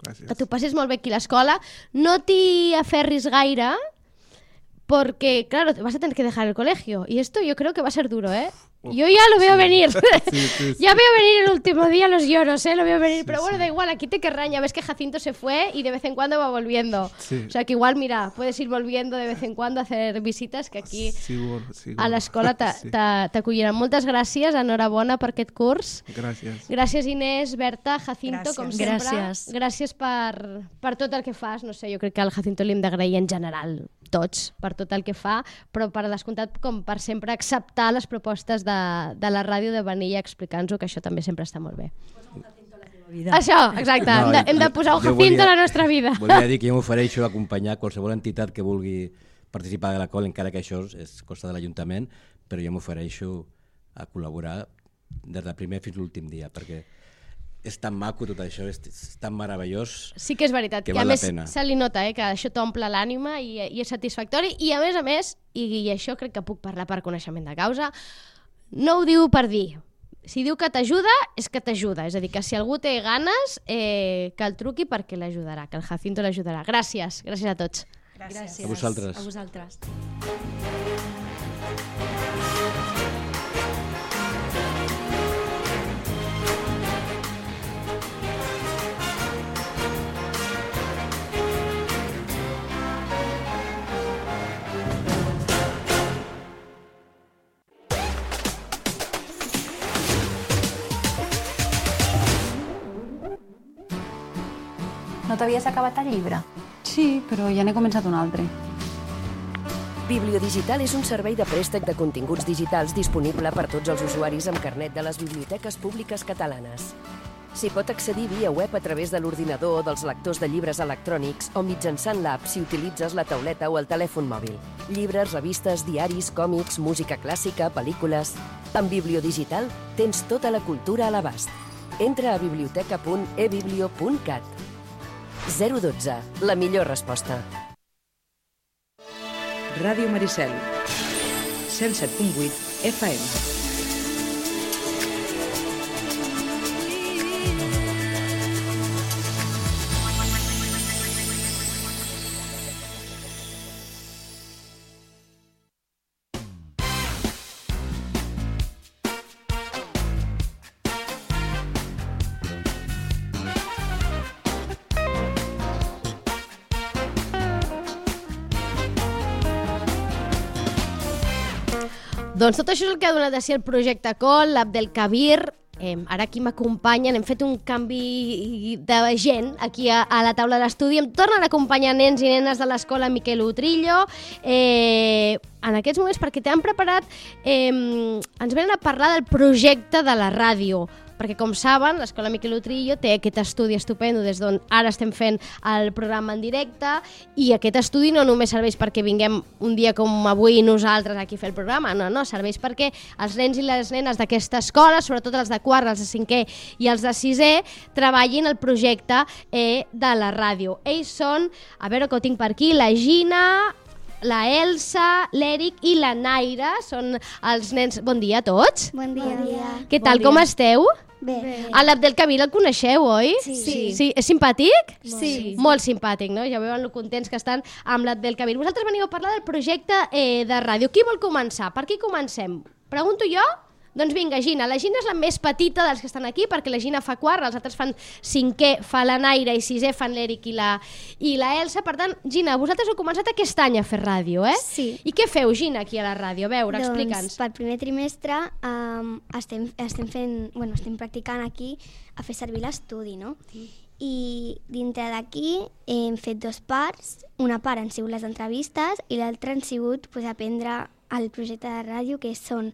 Gràcies. Que t'ho passis molt bé aquí a l'escola. No t'hi aferris gaire, porque, claro, vas a tener que dejar el colegio. Y esto yo creo que va a ser duro, ¿eh? Yo ya lo veo venir. Sí. Ya veo venir el último día los lloros, ¿eh? Lo veo venir. Pero bueno, da igual, aquí te querrán. Ya ves que Jacinto se fue y de vez en cuando va volviendo. Sí. O sea que igual, mira, puedes ir volviendo de vez en cuando a hacer visitas, que aquí Seguro. a l'escola t'acolliran. Moltes gràcies, enhorabona per aquest curs. Gràcies. Gràcies, Inés, Berta, Jacinto, com sempre. Gràcies Per tot el que fas. No sé, jo crec que al Jacinto li hem d'agrair en general, tots, per tot el que fa, però per descomptat, com per sempre, acceptar les propostes de la ràdio de venir a explicar-nos-ho, que això també sempre està molt bé. Això, exacte, hem de posar un Jacinto a la nostra vida. Volia dir que jo m'ofereixo a acompanyar qualsevol entitat que vulgui participar de la col, encara que això és cosa de l'Ajuntament, però jo m'ofereixo a col·laborar des del primer fins l'últim dia, perquè és tan maco tot això, és tan meravellós. Sí que és veritat, que a més se li nota que això t'omple l'ànima i és satisfactori, i a més, i això crec que puc parlar per coneixement de causa, no ho diu per dir. Si diu que t'ajuda, és que t'ajuda. És a dir, que si algú té ganes, que el truqui perquè l'ajudarà, que el Jacinto l'ajudarà. Gràcies a tots. Gràcies. A vosaltres. A vosaltres. No t'havies acabat el llibre? Sí, però ja n'he començat un altre. Bibliodigital és un servei de préstec de continguts digitals disponible per tots els usuaris amb carnet de les biblioteques públiques catalanes. S'hi pot accedir via web a través de l'ordinador o dels lectors de llibres electrònics o mitjançant l'app si utilitzes la tauleta o el telèfon mòbil. Llibres, revistes, diaris, còmics, música clàssica, pel·lícules... Amb Bibliodigital tens tota la cultura a l'abast. Entra a biblioteca.ebiblio.cat. 012, la millor resposta. Ràdio Maricel, 107.8 FM. Doncs tot això és el que ha donat a si el projecte COL, l'Abdelkabir. Ara aquí m'acompanyen, hem fet un canvi de gent aquí a la taula d'estudi. Em tornen a acompanyar nens i nenes de l'escola Miquel Utrillo. En aquests moments, perquè t'han preparat, ens venen a parlar del projecte de la ràdio. Perquè, com saben, l'escola Miquel Utrillo té aquest estudi estupendo des d'on ara estem fent el programa en directe, i aquest estudi no només serveix perquè vinguem un dia com avui nosaltres aquí a fer el programa, no, serveix perquè els nens i les nenes d'aquesta escola, sobretot els de quart, els de cinquè i els de sisè, treballin el projecte de la ràdio. Ells són, a veure que ho tinc per aquí, la Gina, la Elsa, l'Eric i la Naira, són els nens... Bon dia a tots. Bon dia. Què tal, com esteu? Bé. L'Abdelkabir el coneixeu, oi? Sí. És simpàtic? Sí. Molt simpàtic, no? Ja veuen lo contents que estan amb l'Abdelkabir. Vosaltres veniu a parlar del projecte de ràdio. Qui vol començar? Per qui comencem? Pregunto jo? Doncs vinga, Gina. La Gina és la més petita dels que estan aquí, perquè la Gina fa quart, els altres fan cinquè, fa la Naira, i sisè fan l'Eric i la Elsa. Per tant, Gina, vosaltres heu començat aquest any a fer ràdio, eh? Sí. I què feu, Gina, aquí a la ràdio? A veure, explica'ns. Doncs pel primer trimestre estem practicant aquí a fer servir l'estudi, no? I dintre d'aquí hem fet dues parts. Una part han sigut les entrevistes i l'altra han sigut aprendre el projecte de ràdio, que són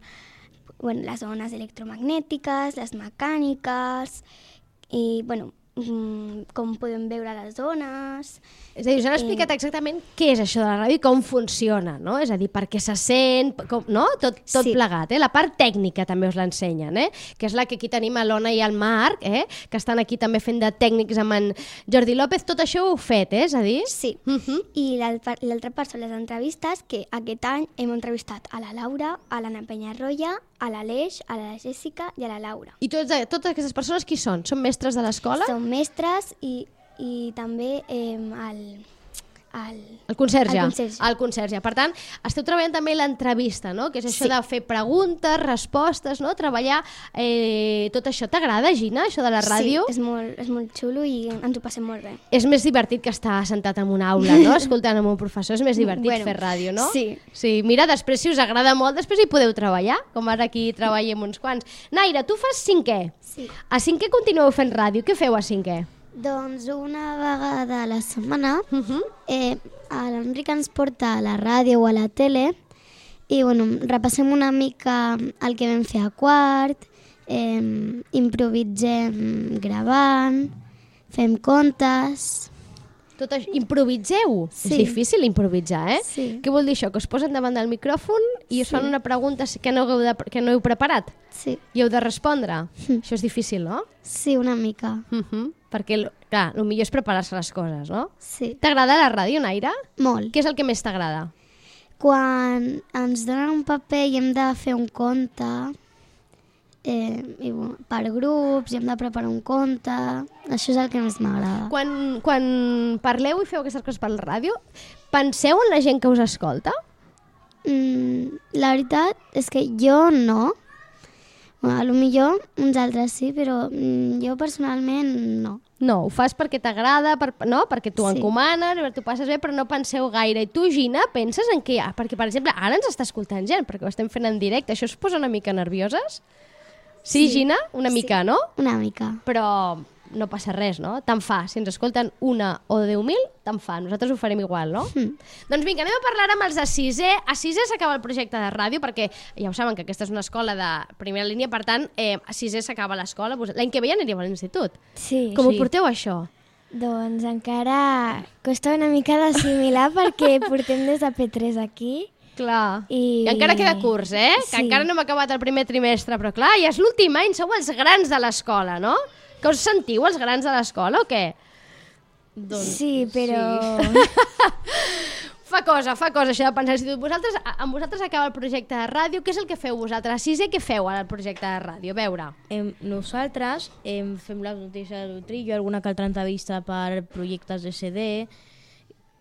les ones electromagnètiques, les mecàniques i, com podem veure les ones. És a dir, us han explicat exactament què és això de la ràdio i com funciona, no? És a dir, per què se sent, no? Tot plegat, La part tècnica també us l'ensenyen, que és la que aquí tenim a l'Ona i al Marc, que estan aquí també fent de tècnics amb en Jordi López. Tot això ho heu fet, és a dir? Sí. I l'altra part són les entrevistes, que aquest any hem entrevistat a la Laura, a l'Anna Penyarroia, a l'Aleix, a la Jessica i a la Laura. I totes aquestes persones qui són? Són mestres de l'escola? Són mestres i també el conserge. El conserge. Per tant, esteu treballant també l'entrevista, no? Que és això de fer preguntes, respostes, no? Treballar tot això. T'agrada, Gina, això de la ràdio? Sí, és molt xulo i ens ho passem molt bé. És més divertit que estar sentat en una aula, no? Escoltant amb un professor. És més divertit fer ràdio, no? Sí. Mira, després, si us agrada molt, després hi podeu treballar, com ara aquí treballem uns quants. Naira, tu fas cinquè. Sí. A cinquè continueu fent ràdio. Què feu a cinquè? Doncs una vegada a la setmana l'Enric ens porta a la ràdio o a la tele i repassem una mica el que vam fer a quart, improvisem gravant, fem contes... Tot això, improviseu? Sí. És difícil improvisar, Sí. Què vol dir això? Que us posen davant del micròfon i us fan una pregunta que no heu preparat? Sí. I heu de respondre? Això és difícil, no? Sí, una mica. Perquè, clar, el millor és preparar-se les coses, no? Sí. T'agrada la ràdio, Naira? Molt. Què és el que més t'agrada? Quan ens donen un paper i hem de fer un conte... per grups, i hem de preparar un conte, això és el que més m'agrada. Quan parleu i feu aquestes coses per la ràdio, penseu en la gent que us escolta? La veritat és que jo no. Potser uns altres sí, però jo personalment no. No, ho fas perquè t'agrada, perquè t'ho encomanen, t'ho passes bé, però no penseu gaire. I tu, Gina, penses en què? Perquè, per exemple, ara ens està escoltant gent, perquè ho estem fent en directe. Això us posa una mica nervioses? Sí, Gina? Una mica, no? Una mica. Però no passa res, no? Tant fa, si ens escolten 1 o 10.000, tant fa, nosaltres ho farem igual, no? Doncs vinga, anem a parlar amb els de 6è. A 6è s'acaba el projecte de ràdio, perquè ja ho saben que aquesta és una escola de primera línia, per tant, a 6è s'acaba l'escola. L'any que ve ja aniríeu a l'institut. Sí. Com ho porteu, això? Doncs encara costa una mica d'assimilar perquè portem des de P3 aquí. Clar. I encara queda curs, que encara no hem acabat el primer trimestre, però clar, ja és l'últim any, sou els grans de l'escola, no? Que us sentiu els grans de l'escola o què? Doncs, sí, però... Fa cosa això de pensar. Amb vosaltres acaba el projecte de ràdio. Què és el que feu vosaltres? A 6è, què feu al projecte de ràdio? A veure. Nosaltres fem les notícies de l'Utrillo, alguna que altra entrevista per projectes de CD,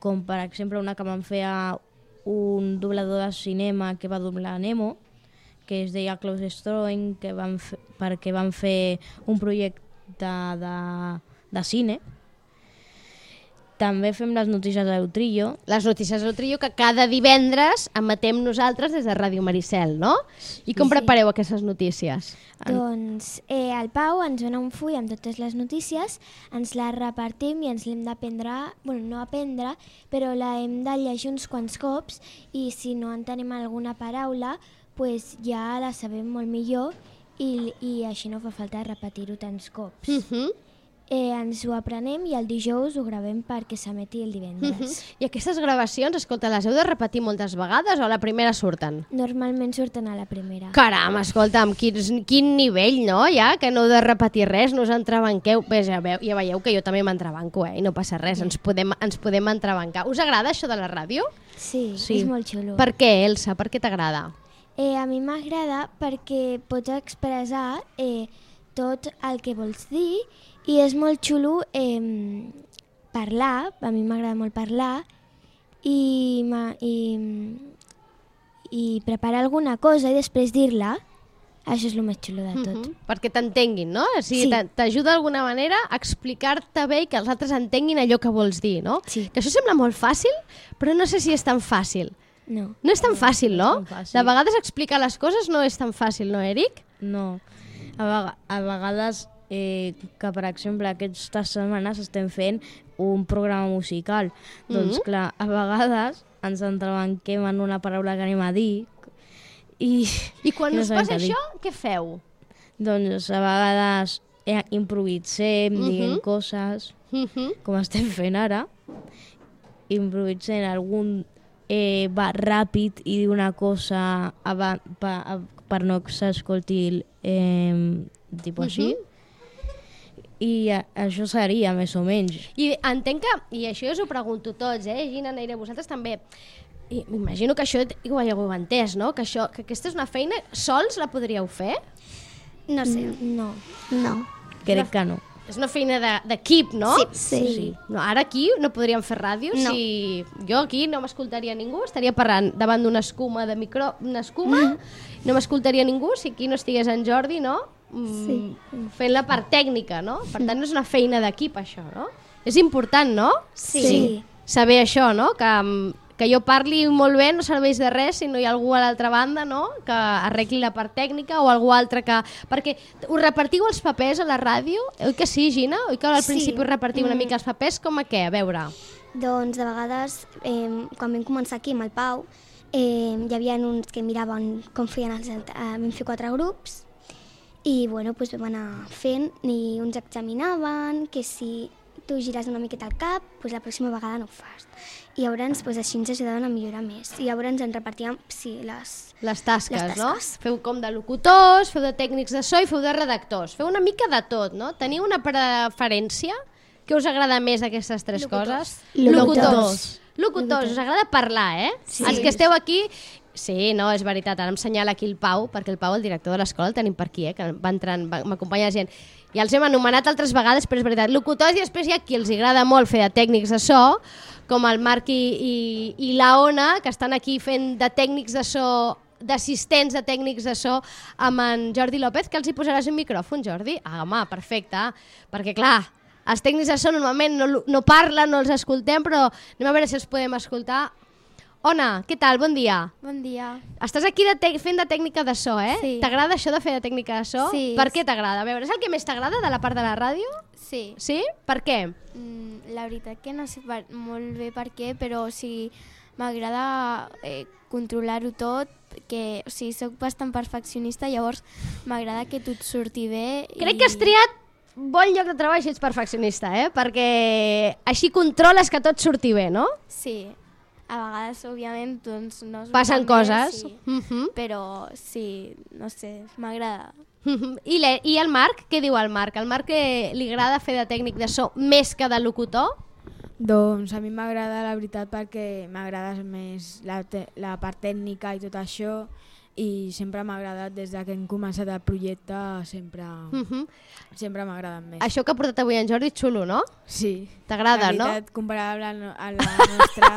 com per exemple una que vam fer a un doblador de cinema que va doblar Nemo, que es deia Klaus Stroing, perquè van fer un projecte de cine. També fem les notícies de l'Utrillo. Les notícies de l'Utrillo que cada divendres emetem nosaltres des de Ràdio Maricel, no? I com prepareu aquestes notícies? Doncs el Pau ens dona un full amb totes les notícies, ens les repartim i ens l'hem d'aprendre, bueno, no aprendre, però la hem de llegir uns quants cops i si no entenem alguna paraula, pues ja la sabem molt millor i així no fa falta repetir-ho tants cops. Ens ho aprenem i el dijous ho gravem perquè s'emeti el divendres. I aquestes gravacions, escolta, les heu de repetir moltes vegades o a la primera surten? Normalment surten a la primera. Caram, escolta'm, quin nivell, no? Ja, que no heu de repetir res, no us entrebanqueu. Bé, ja veieu que jo també m'entrebanco, i no passa res, ens podem entrebancar. Us agrada això de la ràdio? Sí, és molt xulo. Per què, Elsa? Per què t'agrada? A mi m'agrada perquè pots expressar tot el que vols dir i és molt xulo parlar, a mi m'agrada molt parlar i preparar alguna cosa i després dir-la. Això és el més xulo de tot. Perquè t'entenguin, no? O sigui, t'ajuda d'alguna manera a explicar-te bé i que els altres entenguin allò que vols dir, no? Sí. Que això sembla molt fàcil, però no sé si és tan fàcil. No. No és tan fàcil, no? De vegades explicar les coses no és tan fàcil, no, Eric? No. A vegades, que per exemple aquestes setmanes estem fent un programa musical. Doncs clar, a vegades ens entrebanquem en una paraula que anem a dir I quan us passa això, què feu? Doncs a vegades improvisem, diguem coses, com estem fent ara. Improvisem algun va ràpid i dir una cosa per no que s'escolti tipus així. I això seria, més o menys. I entenc que, i això jo us ho pregunto tots, Gina, Neire, vosaltres també, i m'imagino que això ho heu entès, no? Que aquesta és una feina, sols la podríeu fer? No sé. No. Crec que no. És una feina d'equip, no? Sí. No, ara aquí no podríem fer ràdio si jo aquí no m'escoltaria ningú, estaria parlant davant d'una escuma de una escuma, no m'escoltaria ningú si aquí no estigués en Jordi, no? Fent la part tècnica, no? Per tant, no és una feina d'equip, això, no? És important, no? Sí. Saber això, no? Que jo parli molt bé no serveix de res si no hi ha algú a l'altra banda, no? Que arregli la part tècnica o algú altre que... Perquè us repartiu els papers a la ràdio? Oi que sí, Gina? Oi que al principi us repartiu una mica els papers? Com a què? A veure. Doncs de vegades, quan vam començar aquí amb el Pau, hi havia uns que miraven com feien vam fer 4 grups i bueno, doncs vam anar fent i uns examinaven que si tu gires una miqueta el cap, doncs la pròxima vegada no ho fas. I llavors així ens ajudaven a millorar més. I llavors ens repartíem les tasques, no? Feu com de locutors, feu de tècnics de so i feu de redactors. Feu una mica de tot, no? Teniu una preferència? Què us agrada més d'aquestes 3 coses? Locutors, us agrada parlar, Sí. Els que esteu aquí... Sí, no, és veritat, ara em senyala aquí el Pau, perquè el Pau, el director de l'escola, el tenim per aquí, que va entrant, m'acompanya la gent. Ja els hem anomenat altres vegades, però és veritat, locutors, i després hi ha qui els agrada molt fer de tècnics de so, com el Marc i la Ona, que estan aquí fent de tècnics de so, d'assistents de tècnics de so, amb en Jordi López, que els hi posaràs un micròfon, Jordi? Ah, home, perfecte, perquè clar, els tècnics de so normalment no parlen, no els escoltem, però anem a veure si els podem escoltar. Ona, què tal? Bon dia. Bon dia. Estàs aquí fent de tècnica de so, eh? Sí. T'agrada això de fer de tècnica de so? Sí. Per què t'agrada? A veure, és el que més t'agrada de la part de la ràdio? Sí. Sí? Per què? La veritat que no sé molt bé per què, però sí, m'agrada controlar-ho tot, que soc bastant perfeccionista, llavors m'agrada que tot surti bé. Crec que has triat bon lloc de treball si ets perfeccionista, perquè així controles que tot surti bé, no? Sí. A vegades, òbviament, doncs no... Passen coses. Sí. Però sí, no sé, m'agrada. I el Marc? Què diu el Marc? El Marc li agrada fer de tècnic de so més que de locutor? Doncs a mi m'agrada, la veritat, perquè m'agrada més la part tècnica i tot això, i sempre m'ha agradat, des que hem començat el projecte, sempre m'ha agradat més. Això que ha portat avui en Jordi és xulo, no? Sí. T'agrada, no? La veritat, comparable a la nostra...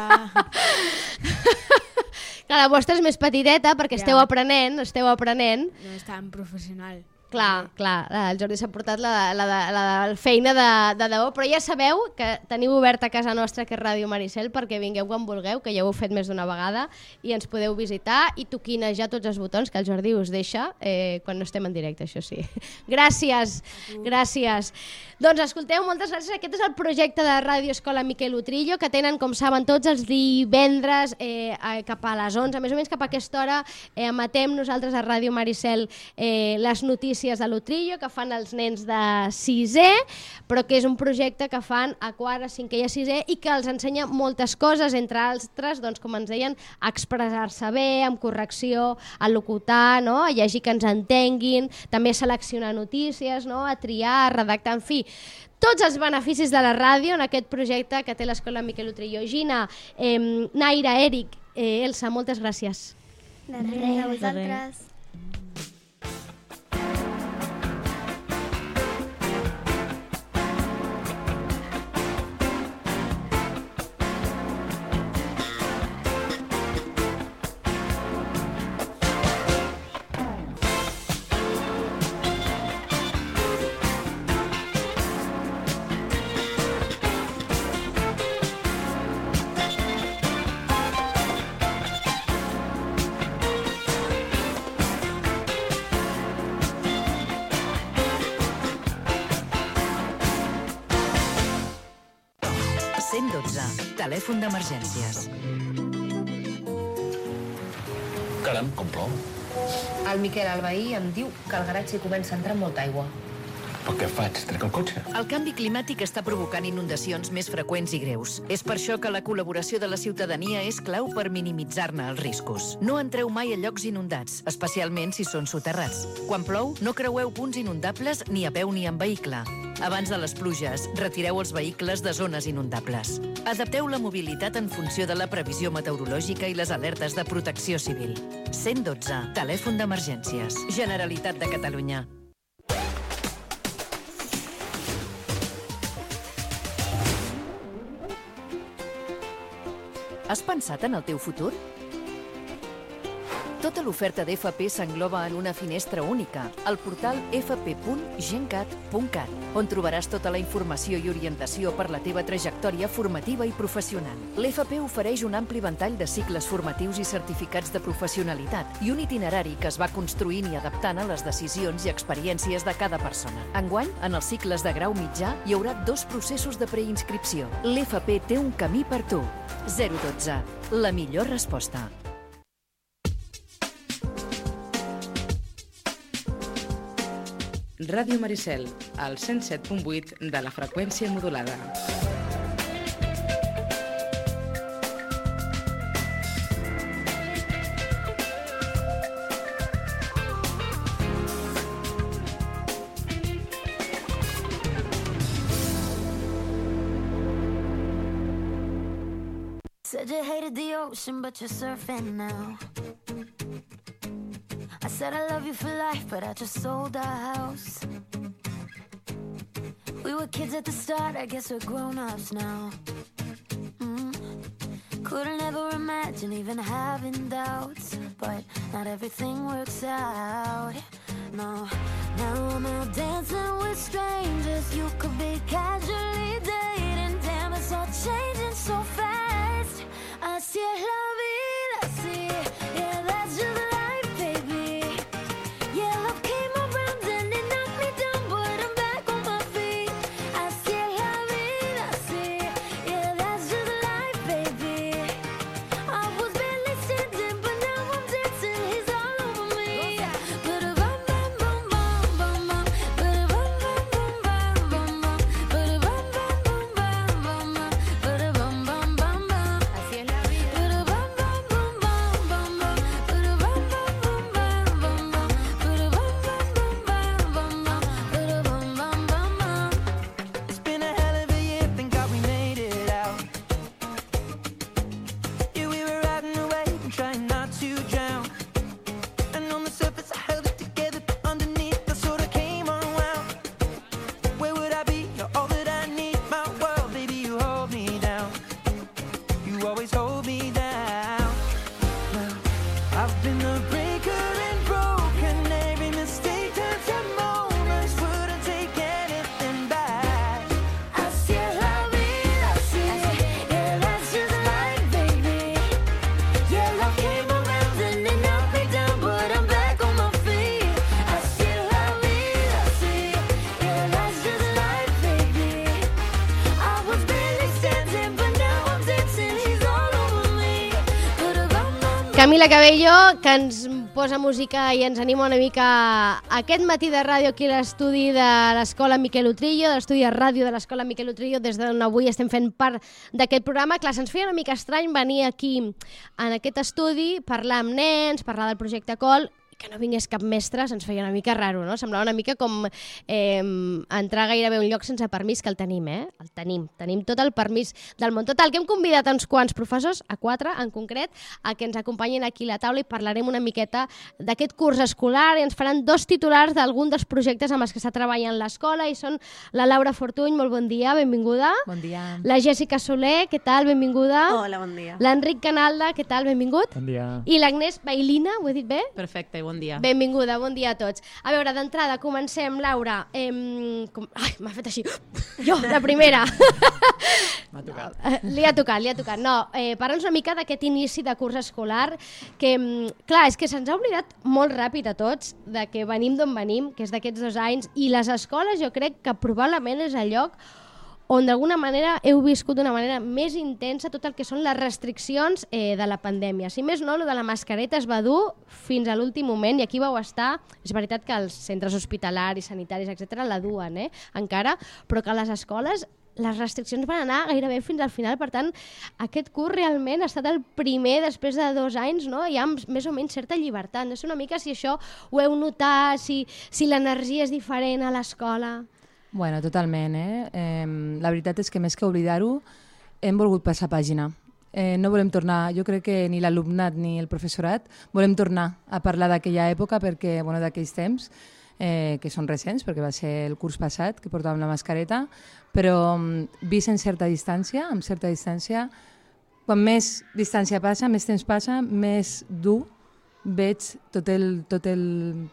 Clar, la vostra és més petiteta perquè esteu aprenent. No és tan professional. Clar, el Jordi s'ha portat la feina de debò, però ja sabeu que teniu oberta a casa nostra, que és Ràdio Maricel, perquè vingueu quan vulgueu, que ja ho heu fet més d'una vegada, i ens podeu visitar i toquinejar tots els botons que el Jordi us deixa quan no estem en directe, això sí. Gràcies. Doncs escolteu, moltes gràcies. Aquest és el projecte de Ràdio Escola Miquel Utrillo, que tenen, com saben, tots els divendres cap a les 11, més o menys cap a aquesta hora, emetem nosaltres a Ràdio Maricel les notícies de l'Utrillo, que fan els nens de 6è, però que és un projecte que fan a quart, a 5è i a 6è, i que els ensenya moltes coses, entre altres, doncs, com ens deien, a expressar-se bé, amb correcció, a locutar, no? A llegir que ens entenguin, també a seleccionar notícies, no? A triar, a redactar, en fi, tots els beneficis de la ràdio en aquest projecte que té l'Escola Miquel Utrillo. Gina, Naira, Eric, Elsa, moltes gràcies. De res, a vosaltres. Telèfon d'emergències. Caram, com plou. El Miquel, el veí, em diu que al garatge hi comença a entrar molta aigua. Però què faig? Trec el cotxe? El canvi climàtic està provocant inundacions més freqüents i greus. És per això que la col·laboració de la ciutadania és clau per minimitzar-ne els riscos. No entreu mai a llocs inundats, especialment si són soterrats. Quan plou, no creueu punts inundables ni a peu ni en vehicle. Abans de les pluges, retireu els vehicles de zones inundables. Adapteu la mobilitat en funció de la previsió meteorològica i les alertes de protecció civil. 112, telèfon d'emergències. Generalitat de Catalunya. Has pensat en el teu futur? Tota l'oferta d'FP s'engloba en una finestra única, al portal fp.gencat.cat, on trobaràs tota la informació i orientació per la teva trajectòria formativa i professional. L'FP ofereix un ampli ventall de cicles formatius i certificats de professionalitat i un itinerari que es va construint i adaptant a les decisions i experiències de cada persona. Enguany, en els cicles de grau mitjà, hi haurà 2 processos de preinscripció. L'FP té un camí per tu. 012, la millor resposta. Ràdio Maricel, al 107.8 de la freqüència modulada. Said you hated the ocean, but you're surfing now. I said I love you for life, but I just sold our house. We were kids at the start, I guess we're grown-ups now. Couldn't ever imagine even having doubts, but not everything works out. No, now I'm out dancing with strangers. You could be casually dating. Damn, it's all changing so fast. Así es la vida. Camila Cabello, que ens posa música i ens anima una mica aquest matí de ràdio aquí a l'estudi de l'Escola Miquel Utrillo, de l'estudi de ràdio de l'Escola Miquel Utrillo, des d'on avui estem fent part d'aquest programa. Clar, se'ns feia una mica estrany venir aquí en aquest estudi, parlar amb nens, parlar del projecte COL, que no vingués cap mestre se'ns feia una mica raro, no? Semblava una mica com entrar gairebé a un lloc sense permís, que el tenim, El tenim tot el permís del món. Total, que hem convidat uns quants professors, a 4 en concret, a que ens acompanyin aquí a la taula i parlarem una miqueta d'aquest curs escolar i ens faran 2 titulars d'algun dels projectes amb els que està treballant l'escola i són la Laura Fortuny, molt bon dia, benvinguda. Bon dia. La Jèssica Soler, què tal, benvinguda. Hola, bon dia. L'Enric Canalda, què tal, benvingut. Bon dia. I l'Agnès Bailina, ho he dit bé? Perfecte, bon dia. Benvinguda, bon dia a tots. A veure, d'entrada, comencem, Laura. Ai, m'ha fet així. Jo, la primera. M'ha tocat. Li ha tocat. No, parla'ns una mica d'aquest inici de curs escolar, que, clar, és que se'ns ha oblidat molt ràpid a tots de que venim d'on venim, que és d'aquests 2 anys, i les escoles jo crec que probablement és el lloc on d'alguna manera heu viscut d'una manera més intensa tot el que són les restriccions de la pandèmia. Si més no, el de la mascareta es va dur fins a l'últim moment i aquí vau estar. És veritat que els centres hospitalaris, sanitaris, etc la duen encara, però que a les escoles les restriccions van anar gairebé fins al final. Per tant, aquest curs realment ha estat el primer després de 2 anys, no? Hi ha més o menys certa llibertat. No sé una mica si això ho heu notat, si l'energia és diferent a l'escola. Bueno, totalment, la veritat és que més que oblidar-ho, hem volgut passar pàgina. No volem tornar, jo crec que ni l'alumnat ni el professorat volem tornar a parlar d'aquella època, perquè, bueno, d'aquells temps, que són recents, perquè va ser el curs passat, que portàvem la mascareta, però vist amb certa distància, quan més distància passa, més temps passa, més dur veig tot el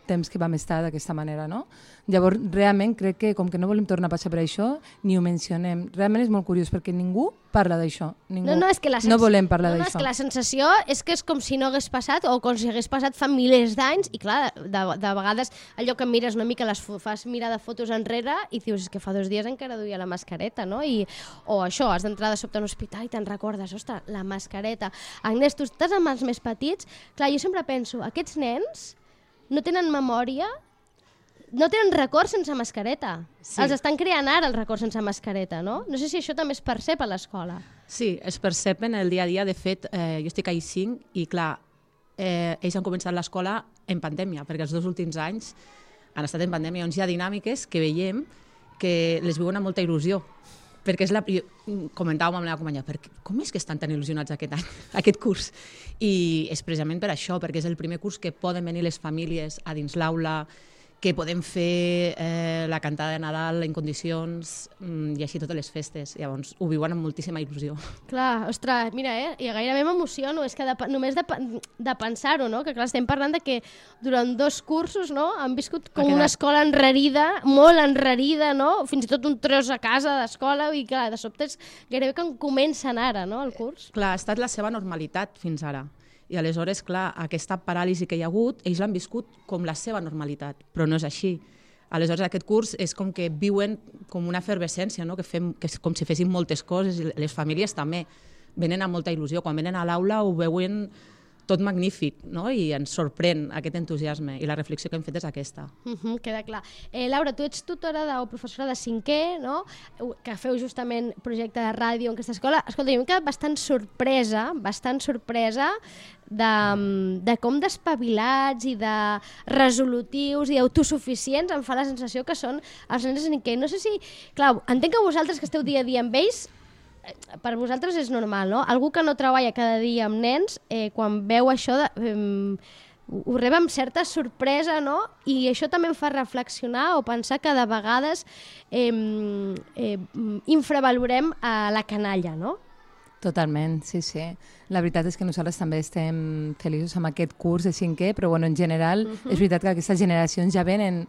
temps que vam estar d'aquesta manera, no? Llavors, realment, crec que com que no volem tornar a passar per això, ni ho mencionem. Realment és molt curiós, perquè ningú parla d'això. No volem parlar d'això. És que la sensació és que és com si no hagués passat o com si hagués passat fa milers d'anys i clar, de vegades allò que mires una mica, fas mirar de fotos enrere i dius, és que fa 2 dies encara duia la mascareta, no? O això, has d'entrar de sobte a un hospital i te'n recordes, ostres, la mascareta. Agnès, tu estàs amb els més petits, clar, jo sempre penso, aquests nens no tenen memòria, no tenen records sense mascareta. Sí. Els estan creant ara els records sense mascareta, no? No sé si això també es percep a l'escola. Sí, es percep en el dia a dia. De fet, jo estic a I5 i, clar, ells han començat l'escola en pandèmia, perquè els 2 últims anys han estat en pandèmia, on hi ha dinàmiques que veiem que les viuen amb molta il·lusió. Perquè comentàvem amb la meva companya, com és que estan tan il·lusionats aquest any, aquest curs? I és precisament per això, perquè és el primer curs que poden venir les famílies a dins l'aula, que podem fer la cantada de Nadal en condicions i així totes les festes. Llavors ho viuen amb moltíssima il·lusió. Clar, ostres, mira, i gairebé m'emociono, és que només de pensar-ho, no? Que clar, estem parlant de que durant 2 cursos, no? Han viscut com una escola enrarida, molt enrarida, no? Fins i tot un tros a casa d'escola i clar, de sobte és gairebé que comencen ara, no, el curs. Clar, ha estat la seva normalitat fins ara. I aleshores, clar, aquesta paràlisi que hi ha hagut, ells l'han viscut com la seva normalitat, però no és així. Aleshores, aquest curs és com que viuen com una efervescència, no? Que és com si fessin moltes coses, i les famílies també venen amb molta il·lusió. Quan venen a l'aula ho veuen tot magnífic, no? I ens sorprèn aquest entusiasme, i la reflexió que hem fet és aquesta. Queda clar. Laura, tu ets tutora o professora de 5è, no? Que feu justament projecte de ràdio en aquesta escola. Escolta, jo m'he quedat bastant sorpresa de com d'espavilats i de resolutius i autosuficients em fa la sensació que són els nens de 5è. No sé si... Clar, entenc que vosaltres que esteu dia a dia amb ells, per vosaltres és normal, no? Algú que no treballa cada dia amb nens, quan veu això, ho rep amb certa sorpresa, no? I això també em fa reflexionar o pensar que de vegades infravalorem la canalla, no? Totalment, sí. La veritat és que nosaltres també estem feliços amb aquest curs de 5è, però bueno, en general és veritat que aquestes generacions ja venen...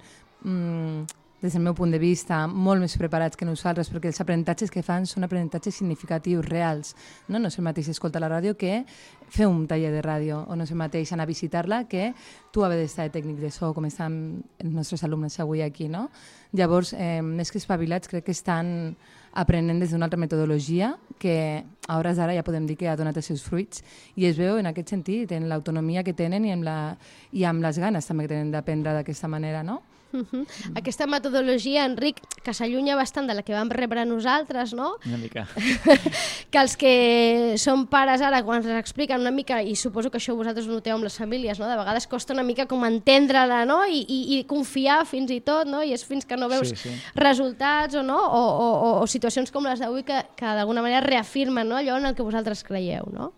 des del meu punt de vista, molt més preparats que nosaltres, perquè els aprenentatges que fan són aprenentatges significatius, reals. No és el mateix escoltar la ràdio que fer un taller de ràdio o no és el mateix anar a visitar-la que tu haver d'estar de tècnic de so, com estan els nostres alumnes avui aquí, no? Llavors, més que espavilats, crec que estan aprenent des d'una altra metodologia que a hores d'ara ja podem dir que ha donat els seus fruits i es veu en aquest sentit, en l'autonomia que tenen i amb les ganes també que tenen d'aprendre d'aquesta manera, no? Aquesta metodologia, Enric, que s'allunya bastant de la que vam rebre nosaltres, no? Una mica. Que els que són pares ara, quan ens expliquen una mica, i suposo que això vosaltres ho noteu amb les famílies, no? De vegades costa una mica com entendre-la, no? I confiar fins i tot, no? I és fins que no veus resultats o no? O situacions com les d'avui que d'alguna manera reafirmen, no? Allò en el que vosaltres creieu, no?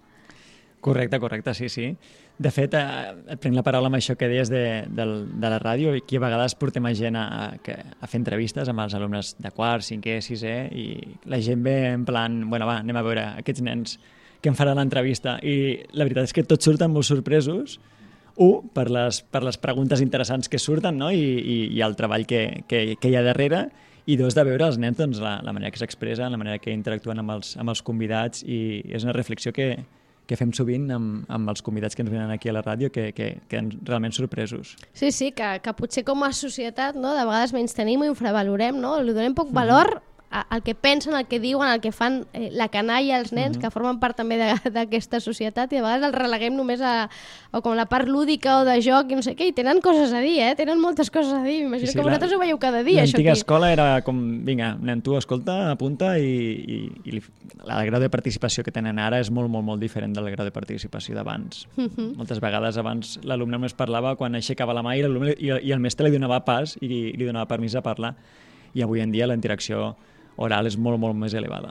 Correcte, sí. De fet, et prenc la paraula amb això que deies de la ràdio, i aquí a vegades portem a gent a fer entrevistes amb els alumnes de quart, cinquè, sisè, i la gent ve en plan, bueno, va, anem a veure aquests nens que em faran l'entrevista. I la veritat és que tots surten molt sorpresos, per les preguntes interessants que surten, no? I el treball que hi ha darrere, i dos, de veure els nens, doncs, la manera que s'expressen, la manera que interactuen amb els convidats, i és una reflexió que fem sovint amb els convidats que ens venen aquí a la ràdio, que queden realment sorpresos. Sí, que potser com a societat, no, de vegades menys tenim i infravalorem, no? Li donem poc valor al que pensen, al que diuen, al que fan la canalla, els nens, que formen part també d'aquesta societat, i a vegades els releguem només a com la part lúdica o de joc i no sé què, i tenen coses a dir, tenen moltes coses a dir. M'imagino que vosaltres ho veieu cada dia, això aquí. L'antiga escola era com, vinga, nen, tu escolta, apunta, i el grau de participació que tenen ara és molt, molt, molt diferent del grau de participació d'abans. Moltes vegades abans l'alumne només parlava quan aixecava la mà i el mestre li donava pas i li donava permís a parlar, i avui en dia la interacció oral és molt, molt més elevada.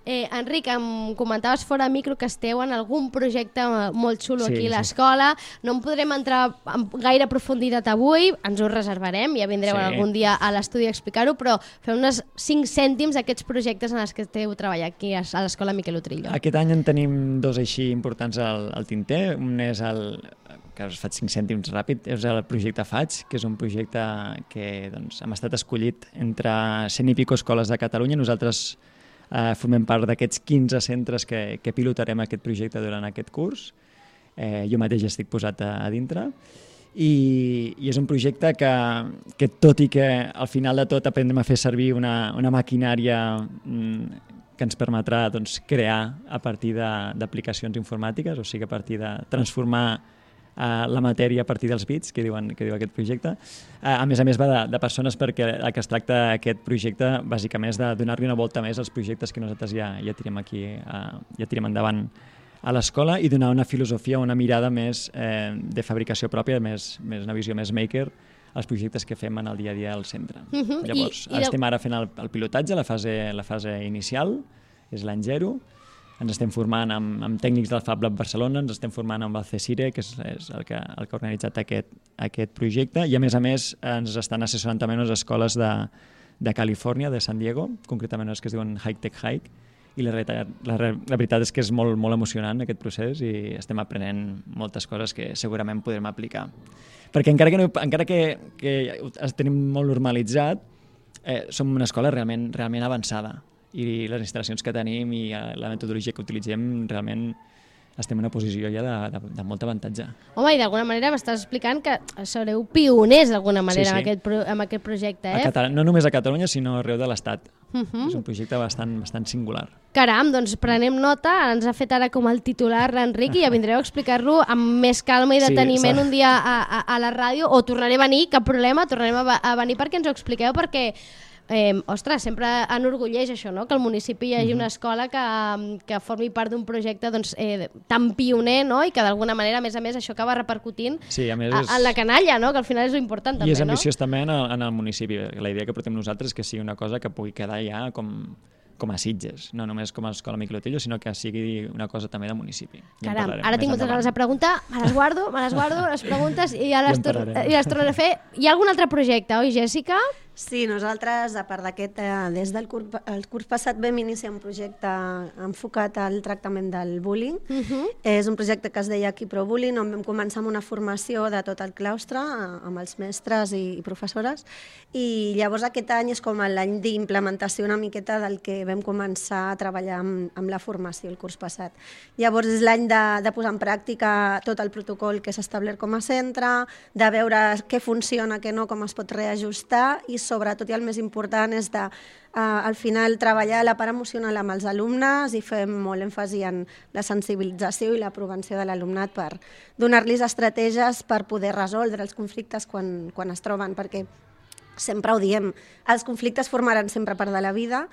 Enric, em comentaves fora micro que esteu en algun projecte molt xulo aquí a l'escola. No en podrem entrar en gaire profunditat avui, ens ho reservarem, ja vindreu algun dia a l'estudi a explicar-ho, però fem uns 5 cèntims d'aquests projectes en els que esteu treballant aquí a l'escola Miquel Utrillo. Aquest any en tenim 2 així importants al tinter. Un és que us faig 5 cèntims ràpid, és el projecte FAIG, que és un projecte que hem estat escollit entre 100 i pico escoles de Catalunya. Nosaltres formem part d'aquests 15 centres que pilotarem aquest projecte durant aquest curs. Jo mateix estic posat a dintre. I és un projecte que tot i que al final de tot aprendrem a fer servir una maquinària que ens permetrà crear a partir d'aplicacions informàtiques, o sigui, a partir de transformar la matèria a partir dels bits, que diu aquest projecte. A més va de persones, perquè el que es tracta aquest projecte bàsicament és de donar-li una volta més als projectes que nosaltres ja tirem aquí, ja tirem endavant a l'escola, i donar una filosofia, una mirada més de fabricació pròpia, una visió més maker als projectes que fem en el dia a dia al centre. Llavors, estem ara fent el pilotatge, la fase inicial, és l'any 0. Ens estem formant amb tècnics del Fab Lab Barcelona, ens estem formant amb el CSIRE, que és el que ha organitzat aquest projecte, i a més ens estan assessorant també unes escoles de Califòrnia, de San Diego, concretament unes que es diuen High Tech Hike, i la veritat és que és molt, molt emocionant aquest procés, i estem aprenent moltes coses que segurament podrem aplicar. Perquè encara que tenim molt normalitzat, som una escola realment avançada, i les instal·lacions que tenim i la metodologia que utilitzem, realment estem en una posició ja de molt avantatge. Home, i d'alguna manera m'estàs explicant que sereu pioners d'alguna manera amb aquest projecte, No només a Catalunya, sinó arreu de l'Estat. És un projecte bastant singular. Caram, doncs prenem nota, ens ha fet ara com el titular l'Enric, i ja vindreu a explicar-lo amb més calma i deteniment un dia a la ràdio, o tornaré a venir, cap problema, tornarem a venir perquè ens ho expliqueu, perquè ostres, sempre enorgulleix això, no? Que al municipi hi hagi una escola que formi part d'un projecte tan pioner, no? I que d'alguna manera, a més, això acaba repercutint en la canalla, no? Que al final és important també, no? I és ambiciós també en el municipi. La idea que portem nosaltres és que sigui una cosa que pugui quedar ja com a Sitges, no només com a escola Miquel Utrillo, sinó que sigui una cosa també de municipi. Caram, ara tinc moltes ganes de preguntar, me les guardo les preguntes i ja les tornaré a fer. Hi ha algun altre projecte, oi, Jèssica? Sí, nosaltres, a part d'aquest, des del curs passat vam iniciar un projecte enfocat al tractament del bullying. És un projecte que es deia Equipro-Bullying, on vam començar amb una formació de tot el claustre, amb els mestres i professores, i llavors aquest any és com l'any d'implementació una miqueta del que vam començar a treballar amb la formació el curs passat. Llavors és l'any de posar en pràctica tot el protocol que s'ha establert com a centre, de veure què funciona, què no, com es pot reajustar, i sobretot, i el més important, és de, al final, treballar la part emocional amb els alumnes i fem molt èmfasi en la sensibilització i la prevenció de l'alumnat per donar-los estratègies per poder resoldre els conflictes quan es troben, perquè sempre ho diem, els conflictes formaran sempre part de la vida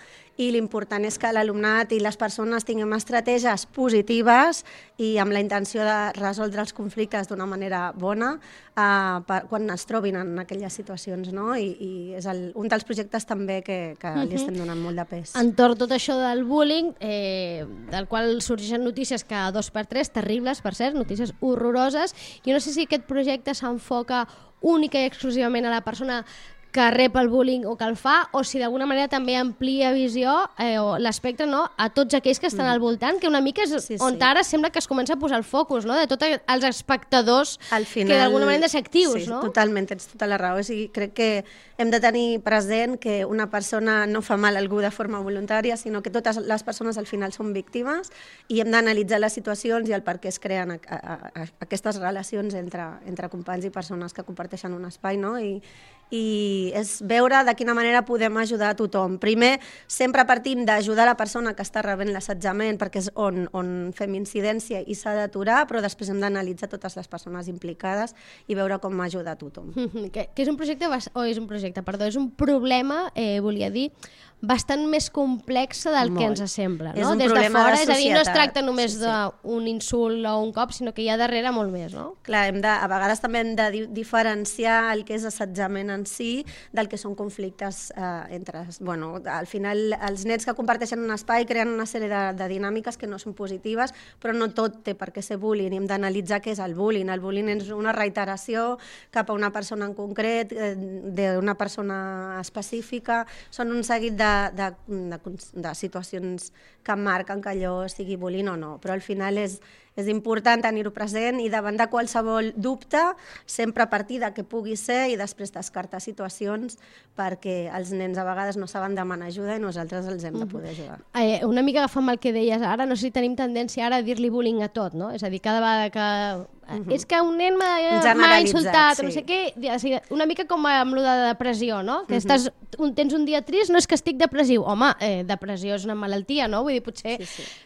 i l'important és que l'alumnat i les persones tinguem estratègies positives i amb la intenció de resoldre els conflictes d'una manera bona quan es trobin en aquelles situacions, no? I és un dels projectes també que li estem donant molt de pes. Entorn tot això del bullying, del qual sorgeixen notícies cada 2x3, terribles, per cert, notícies horroroses. Jo no sé si aquest projecte s'enfoca única i exclusivament a la persona que rep el bullying o que el fa, o si d'alguna manera també amplia visió o l'espectre, no, a tots aquells que estan al voltant, que una mica és on ara sembla que es comença a posar el focus, no?, de tots els espectadors que d'alguna manera han de ser actius, no? Sí, totalment, tens tota la raó. O sigui, crec que hem de tenir present que una persona no fa mal a algú de forma voluntària, sinó que totes les persones al final són víctimes i hem d'analitzar les situacions i el per què es creen aquestes relacions entre companys i persones que comparteixen un espai, no? I és veure de quina manera podem ajudar a tothom. Primer, sempre partim d'ajudar la persona que està rebent l'assetjament, perquè és on fem incidència i s'ha d'aturar, però després hem d'analitzar totes les persones implicades i veure com ajuda a tothom. Que és un projecte, és un problema, volia dir, bastant més complexa del que ens sembla, no? Des de fora, és a dir, no es tracta només d'un insult o un cop, sinó que hi ha darrere molt més, no? Clar, a vegades també hem de diferenciar el que és assetjament en si del que són conflictes entre... Bueno, al final, els nens que comparteixen un espai creen una sèrie de dinàmiques que no són positives, però no tot té per què ser bullying, i hem d'analitzar què és el bullying. El bullying és una reiteració cap a una persona en concret, d'una persona específica, són un seguit de situacions que marquen que allò sigui bullying o no, però al final és important tenir-ho present i davant de qualsevol dubte sempre partir de què pugui ser i després descartar situacions perquè els nens a vegades no saben demanar ajuda i nosaltres els hem de poder ajudar. Una mica agafant el que deies ara, no sé si tenim tendència ara a dir-li bullying a tot, no? És a dir, cada vegada que... És que un nen m'ha insultat, no sé què, una mica com amb lo de depressió, no? Que tens un dia trist, no és que estic depressiu. Home, depressió és una malaltia, no? Vull dir, potser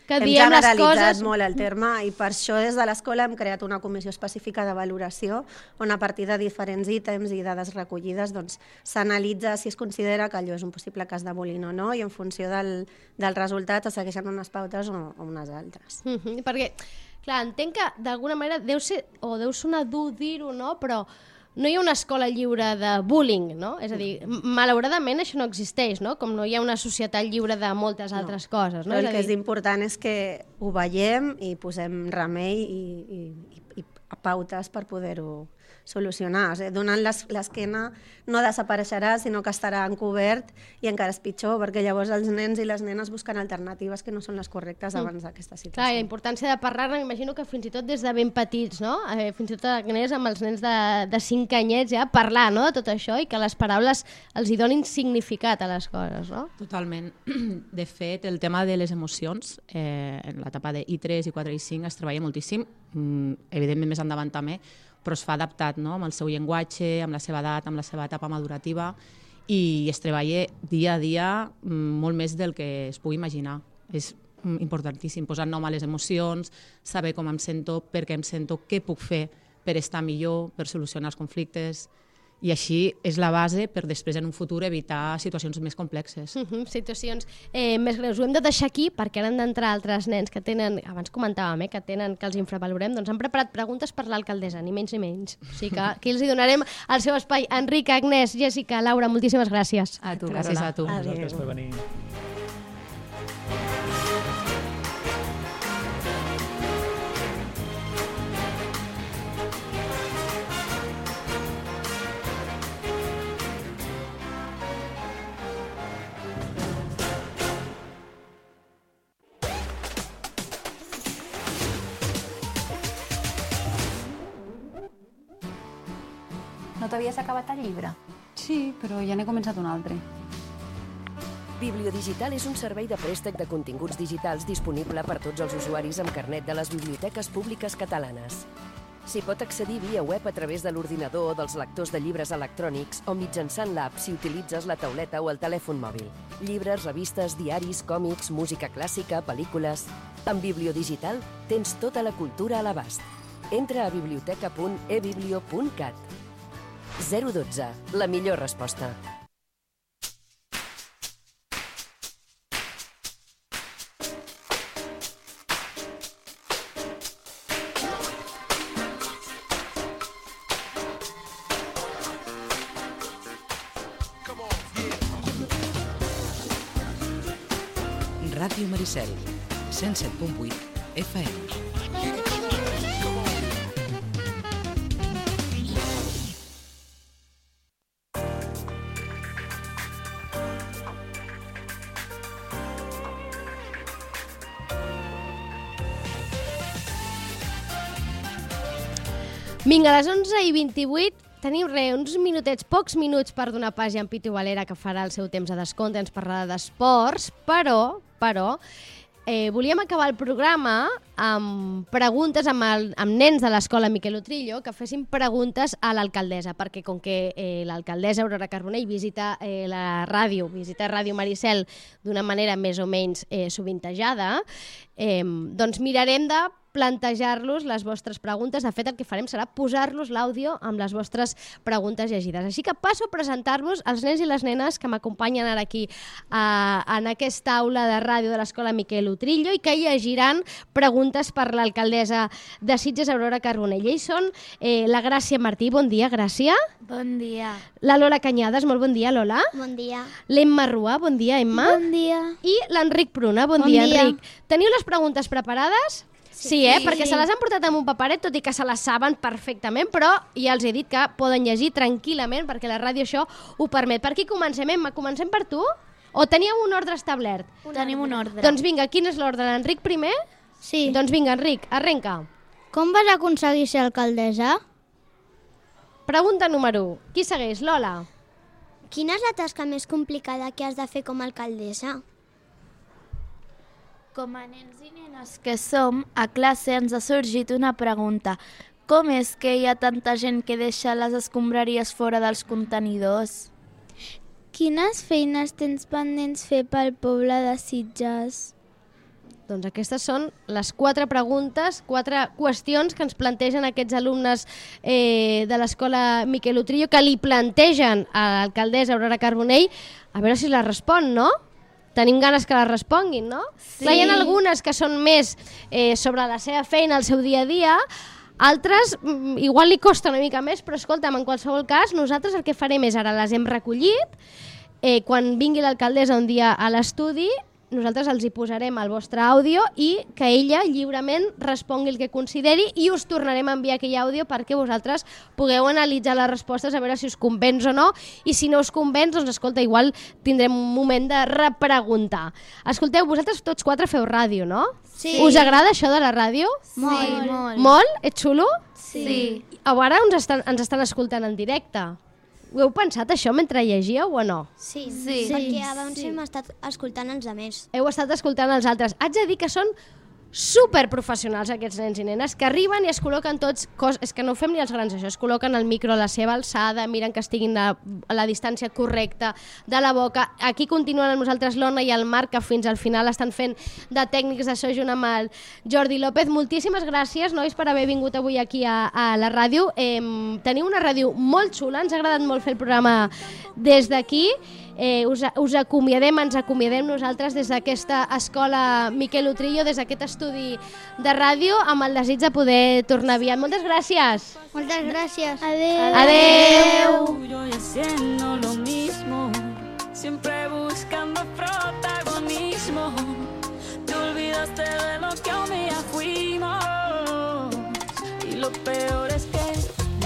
que diem les coses... Hem generalitzat molt el terme i per això des de l'escola hem creat una comissió específica de valoració on a partir de diferents ítems i dades recollides s'analitza si es considera que allò és un possible cas de bullying o no i en funció del resultat es segueixen unes pautes o unes altres. Perquè, clar, entenc que d'alguna manera deu sonar dur dir-ho, no? Però no hi ha una escola lliure de bullying, no? És a dir, malauradament això no existeix, no? Com no hi ha una societat lliure de moltes altres coses, no? Però el que és important és que ho veiem i posem remei i pautes per poder-ho solucionar. O sigui, donant l'esquena no desapareixerà, sinó que estarà encobert i encara és pitjor, perquè llavors els nens i les nenes busquen alternatives que no són les correctes abans d'aquesta situació. Clar, la importància de parlar-ne, m'imagino que fins i tot des de ben petits, no? Fins i tot amb els nens de 5 anyets ja, parlar, no?, de tot això i que les paraules els hi donin significat a les coses, no? Totalment. De fet, el tema de les emocions, en l'etapa de I3, I4 i I5 es treballa moltíssim, evidentment més endavant també, però es fa adaptat, no?, amb el seu llenguatge, amb la seva edat, amb la seva etapa madurativa, i es treballa dia a dia molt més del que es pugui imaginar. És importantíssim posar nom a les emocions, saber com em sento, per què em sento, què puc fer per estar millor, per solucionar els conflictes, i així és la base per després en un futur evitar situacions més complexes. Situacions més greus. Ho hem de deixar aquí perquè ara han d'entrar altres nens que tenen, abans comentàvem, que els infravalorem, doncs han preparat preguntes per l'alcaldessa, ni menys ni menys. O sigui que aquí els hi donarem el seu espai. Enric, Agnès, Jessica, Laura, moltíssimes gràcies. A tu, gràcies a tu. Gràcies per venir. No t'havies acabat el llibre? Sí, però ja n'he començat un altre. Bibliodigital és un servei de préstec de continguts digitals disponible per tots els usuaris amb carnet de les biblioteques públiques catalanes. S'hi pot accedir via web a través de l'ordinador o dels lectors de llibres electrònics o mitjançant l'app si utilitzes la tauleta o el telèfon mòbil. Llibres, revistes, diaris, còmics, música clàssica, pel·lícules... Amb Bibliodigital tens tota la cultura a l'abast. Entra a biblioteca.ebiblio.cat. 012, la millor resposta. Ràdio Maricel, 107.8 FM. Vinga, a les 11:28 tenim uns minutets, pocs minuts per donar pas a en Pitu Valera, que farà el seu temps de descompte, ens parlarà d'esports, però volíem acabar el programa amb preguntes amb nens de l'escola Miquel Utrillo que fessin preguntes a l'alcaldessa, perquè com que l'alcaldessa Aurora Carbonell visita la ràdio, visita Ràdio Maricel d'una manera més o menys sovintejada, doncs mirarem de plantejar-los les vostres preguntes. De fet, el que farem serà posar-los l'àudio amb les vostres preguntes llegides. Així que passo a presentar-vos els nens i les nenes que m'acompanyen ara aquí en aquesta aula de ràdio de l'escola Miquel Utrillo i que llegiran preguntes per l'alcaldessa de Sitges, Aurora Carbonell. Ells són la Gràcia Martí. Bon dia, Gràcia. Bon dia. La Lola Canyades. Molt bon dia, Lola. Bon dia. L'Emma Rua. Bon dia, Emma. Bon dia. I l'Enric Pruna. Bon dia, Enric. Teniu les preguntes preparades? Sí, perquè se les han portat amb un paperet, tot i que se les saben perfectament, però ja els he dit que poden llegir tranquil·lament, perquè la ràdio això ho permet. Per qui comencem, Emma? Comencem per tu? O teníeu un ordre establert? Tenim un ordre. Doncs vinga, quin és l'ordre? L'Enric primer? Sí. Doncs vinga, Enric, arrenca. Com vas aconseguir ser alcaldessa? Pregunta número 1. Qui segueix? Lola. Quina és la tasca més complicada que has de fer com a alcaldessa? Com a nens i nenes que som, a classe ens ha sorgit una pregunta. Com és que hi ha tanta gent que deixa les escombraries fora dels contenidors? Quines feines tens pendents fer pel poble de Sitges? Doncs aquestes són les 4 preguntes, 4 qüestions que ens plantegen aquests alumnes de l'escola Miquel Utrillo, que li plantegen a l'alcaldessa Aurora Carbonell, a veure si les respon, no? Tenim ganes que les responguin, no? Sí. Hi ha algunes que són més sobre la seva feina, el seu dia a dia, altres igual li costa una mica més, però escolta'm, en qualsevol cas, nosaltres el que farem és, ara les hem recollit, quan vingui l'alcaldessa un dia a l'estudi, nosaltres els hi posarem el vostre àudio i que ella lliurement respongui el que consideri i us tornarem a enviar aquell àudio perquè vosaltres pugueu analitzar les respostes a veure si us convenç o no, i si no us convenç, doncs escolta, igual tindrem un moment de repreguntar. Escolteu, vosaltres tots 4 feu ràdio, no? Sí. Us agrada això de la ràdio? Molt. Molt. Molt? És xulo? Sí. Ara ens estan escoltant en directe. Ho heu pensat, això, mentre llegíeu o no? Sí. Perquè abans hem estat escoltant els altres. Heu estat escoltant els altres. Haig de dir que són superprofessionals aquests nens i nenes, que arriben i es col·loquen tots, és que no ho fem ni els grans això, es col·loquen el micro a la seva alçada, miren que estiguin a la distància correcta de la boca. Aquí continuen amb nosaltres l'Ona i el Marc, que fins al final estan fent de tècnics de so junt amb el Jordi López. Moltíssimes gràcies, nois, per haver vingut avui aquí a la ràdio. Teniu una ràdio molt xula, ens ha agradat molt fer el programa des d'aquí. Us acomiadem, ens acomiadem nosaltres des d'aquesta escola Miquel Utrillo, des d'aquest estudi de ràdio, amb el desig de poder tornar aviat. Moltes gràcies. Moltes gràcies. Adeu. Yo haciendo lo mismo, siempre buscando protagonismo. Te olvidaste de lo que un día fuimos. Y lo peor es que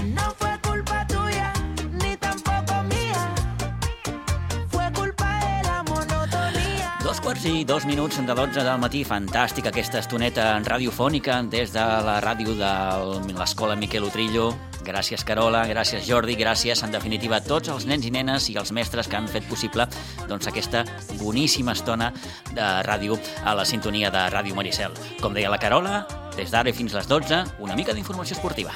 no fue culpa tuya, ni tampoco mía. Fue culpa de la monotonía. 2:02 de 12 del matí. Fantàstica aquesta estoneta radiofònica des de la ràdio de l'escola Miquel Utrillo. Gràcies, Carola, gràcies, Jordi, gràcies, en definitiva, a tots els nens i nenes i els mestres que han fet possible aquesta boníssima estona de ràdio a la sintonia de Ràdio Maricel. Com deia la Carola, des d'ara i fins les 12, una mica d'informació esportiva.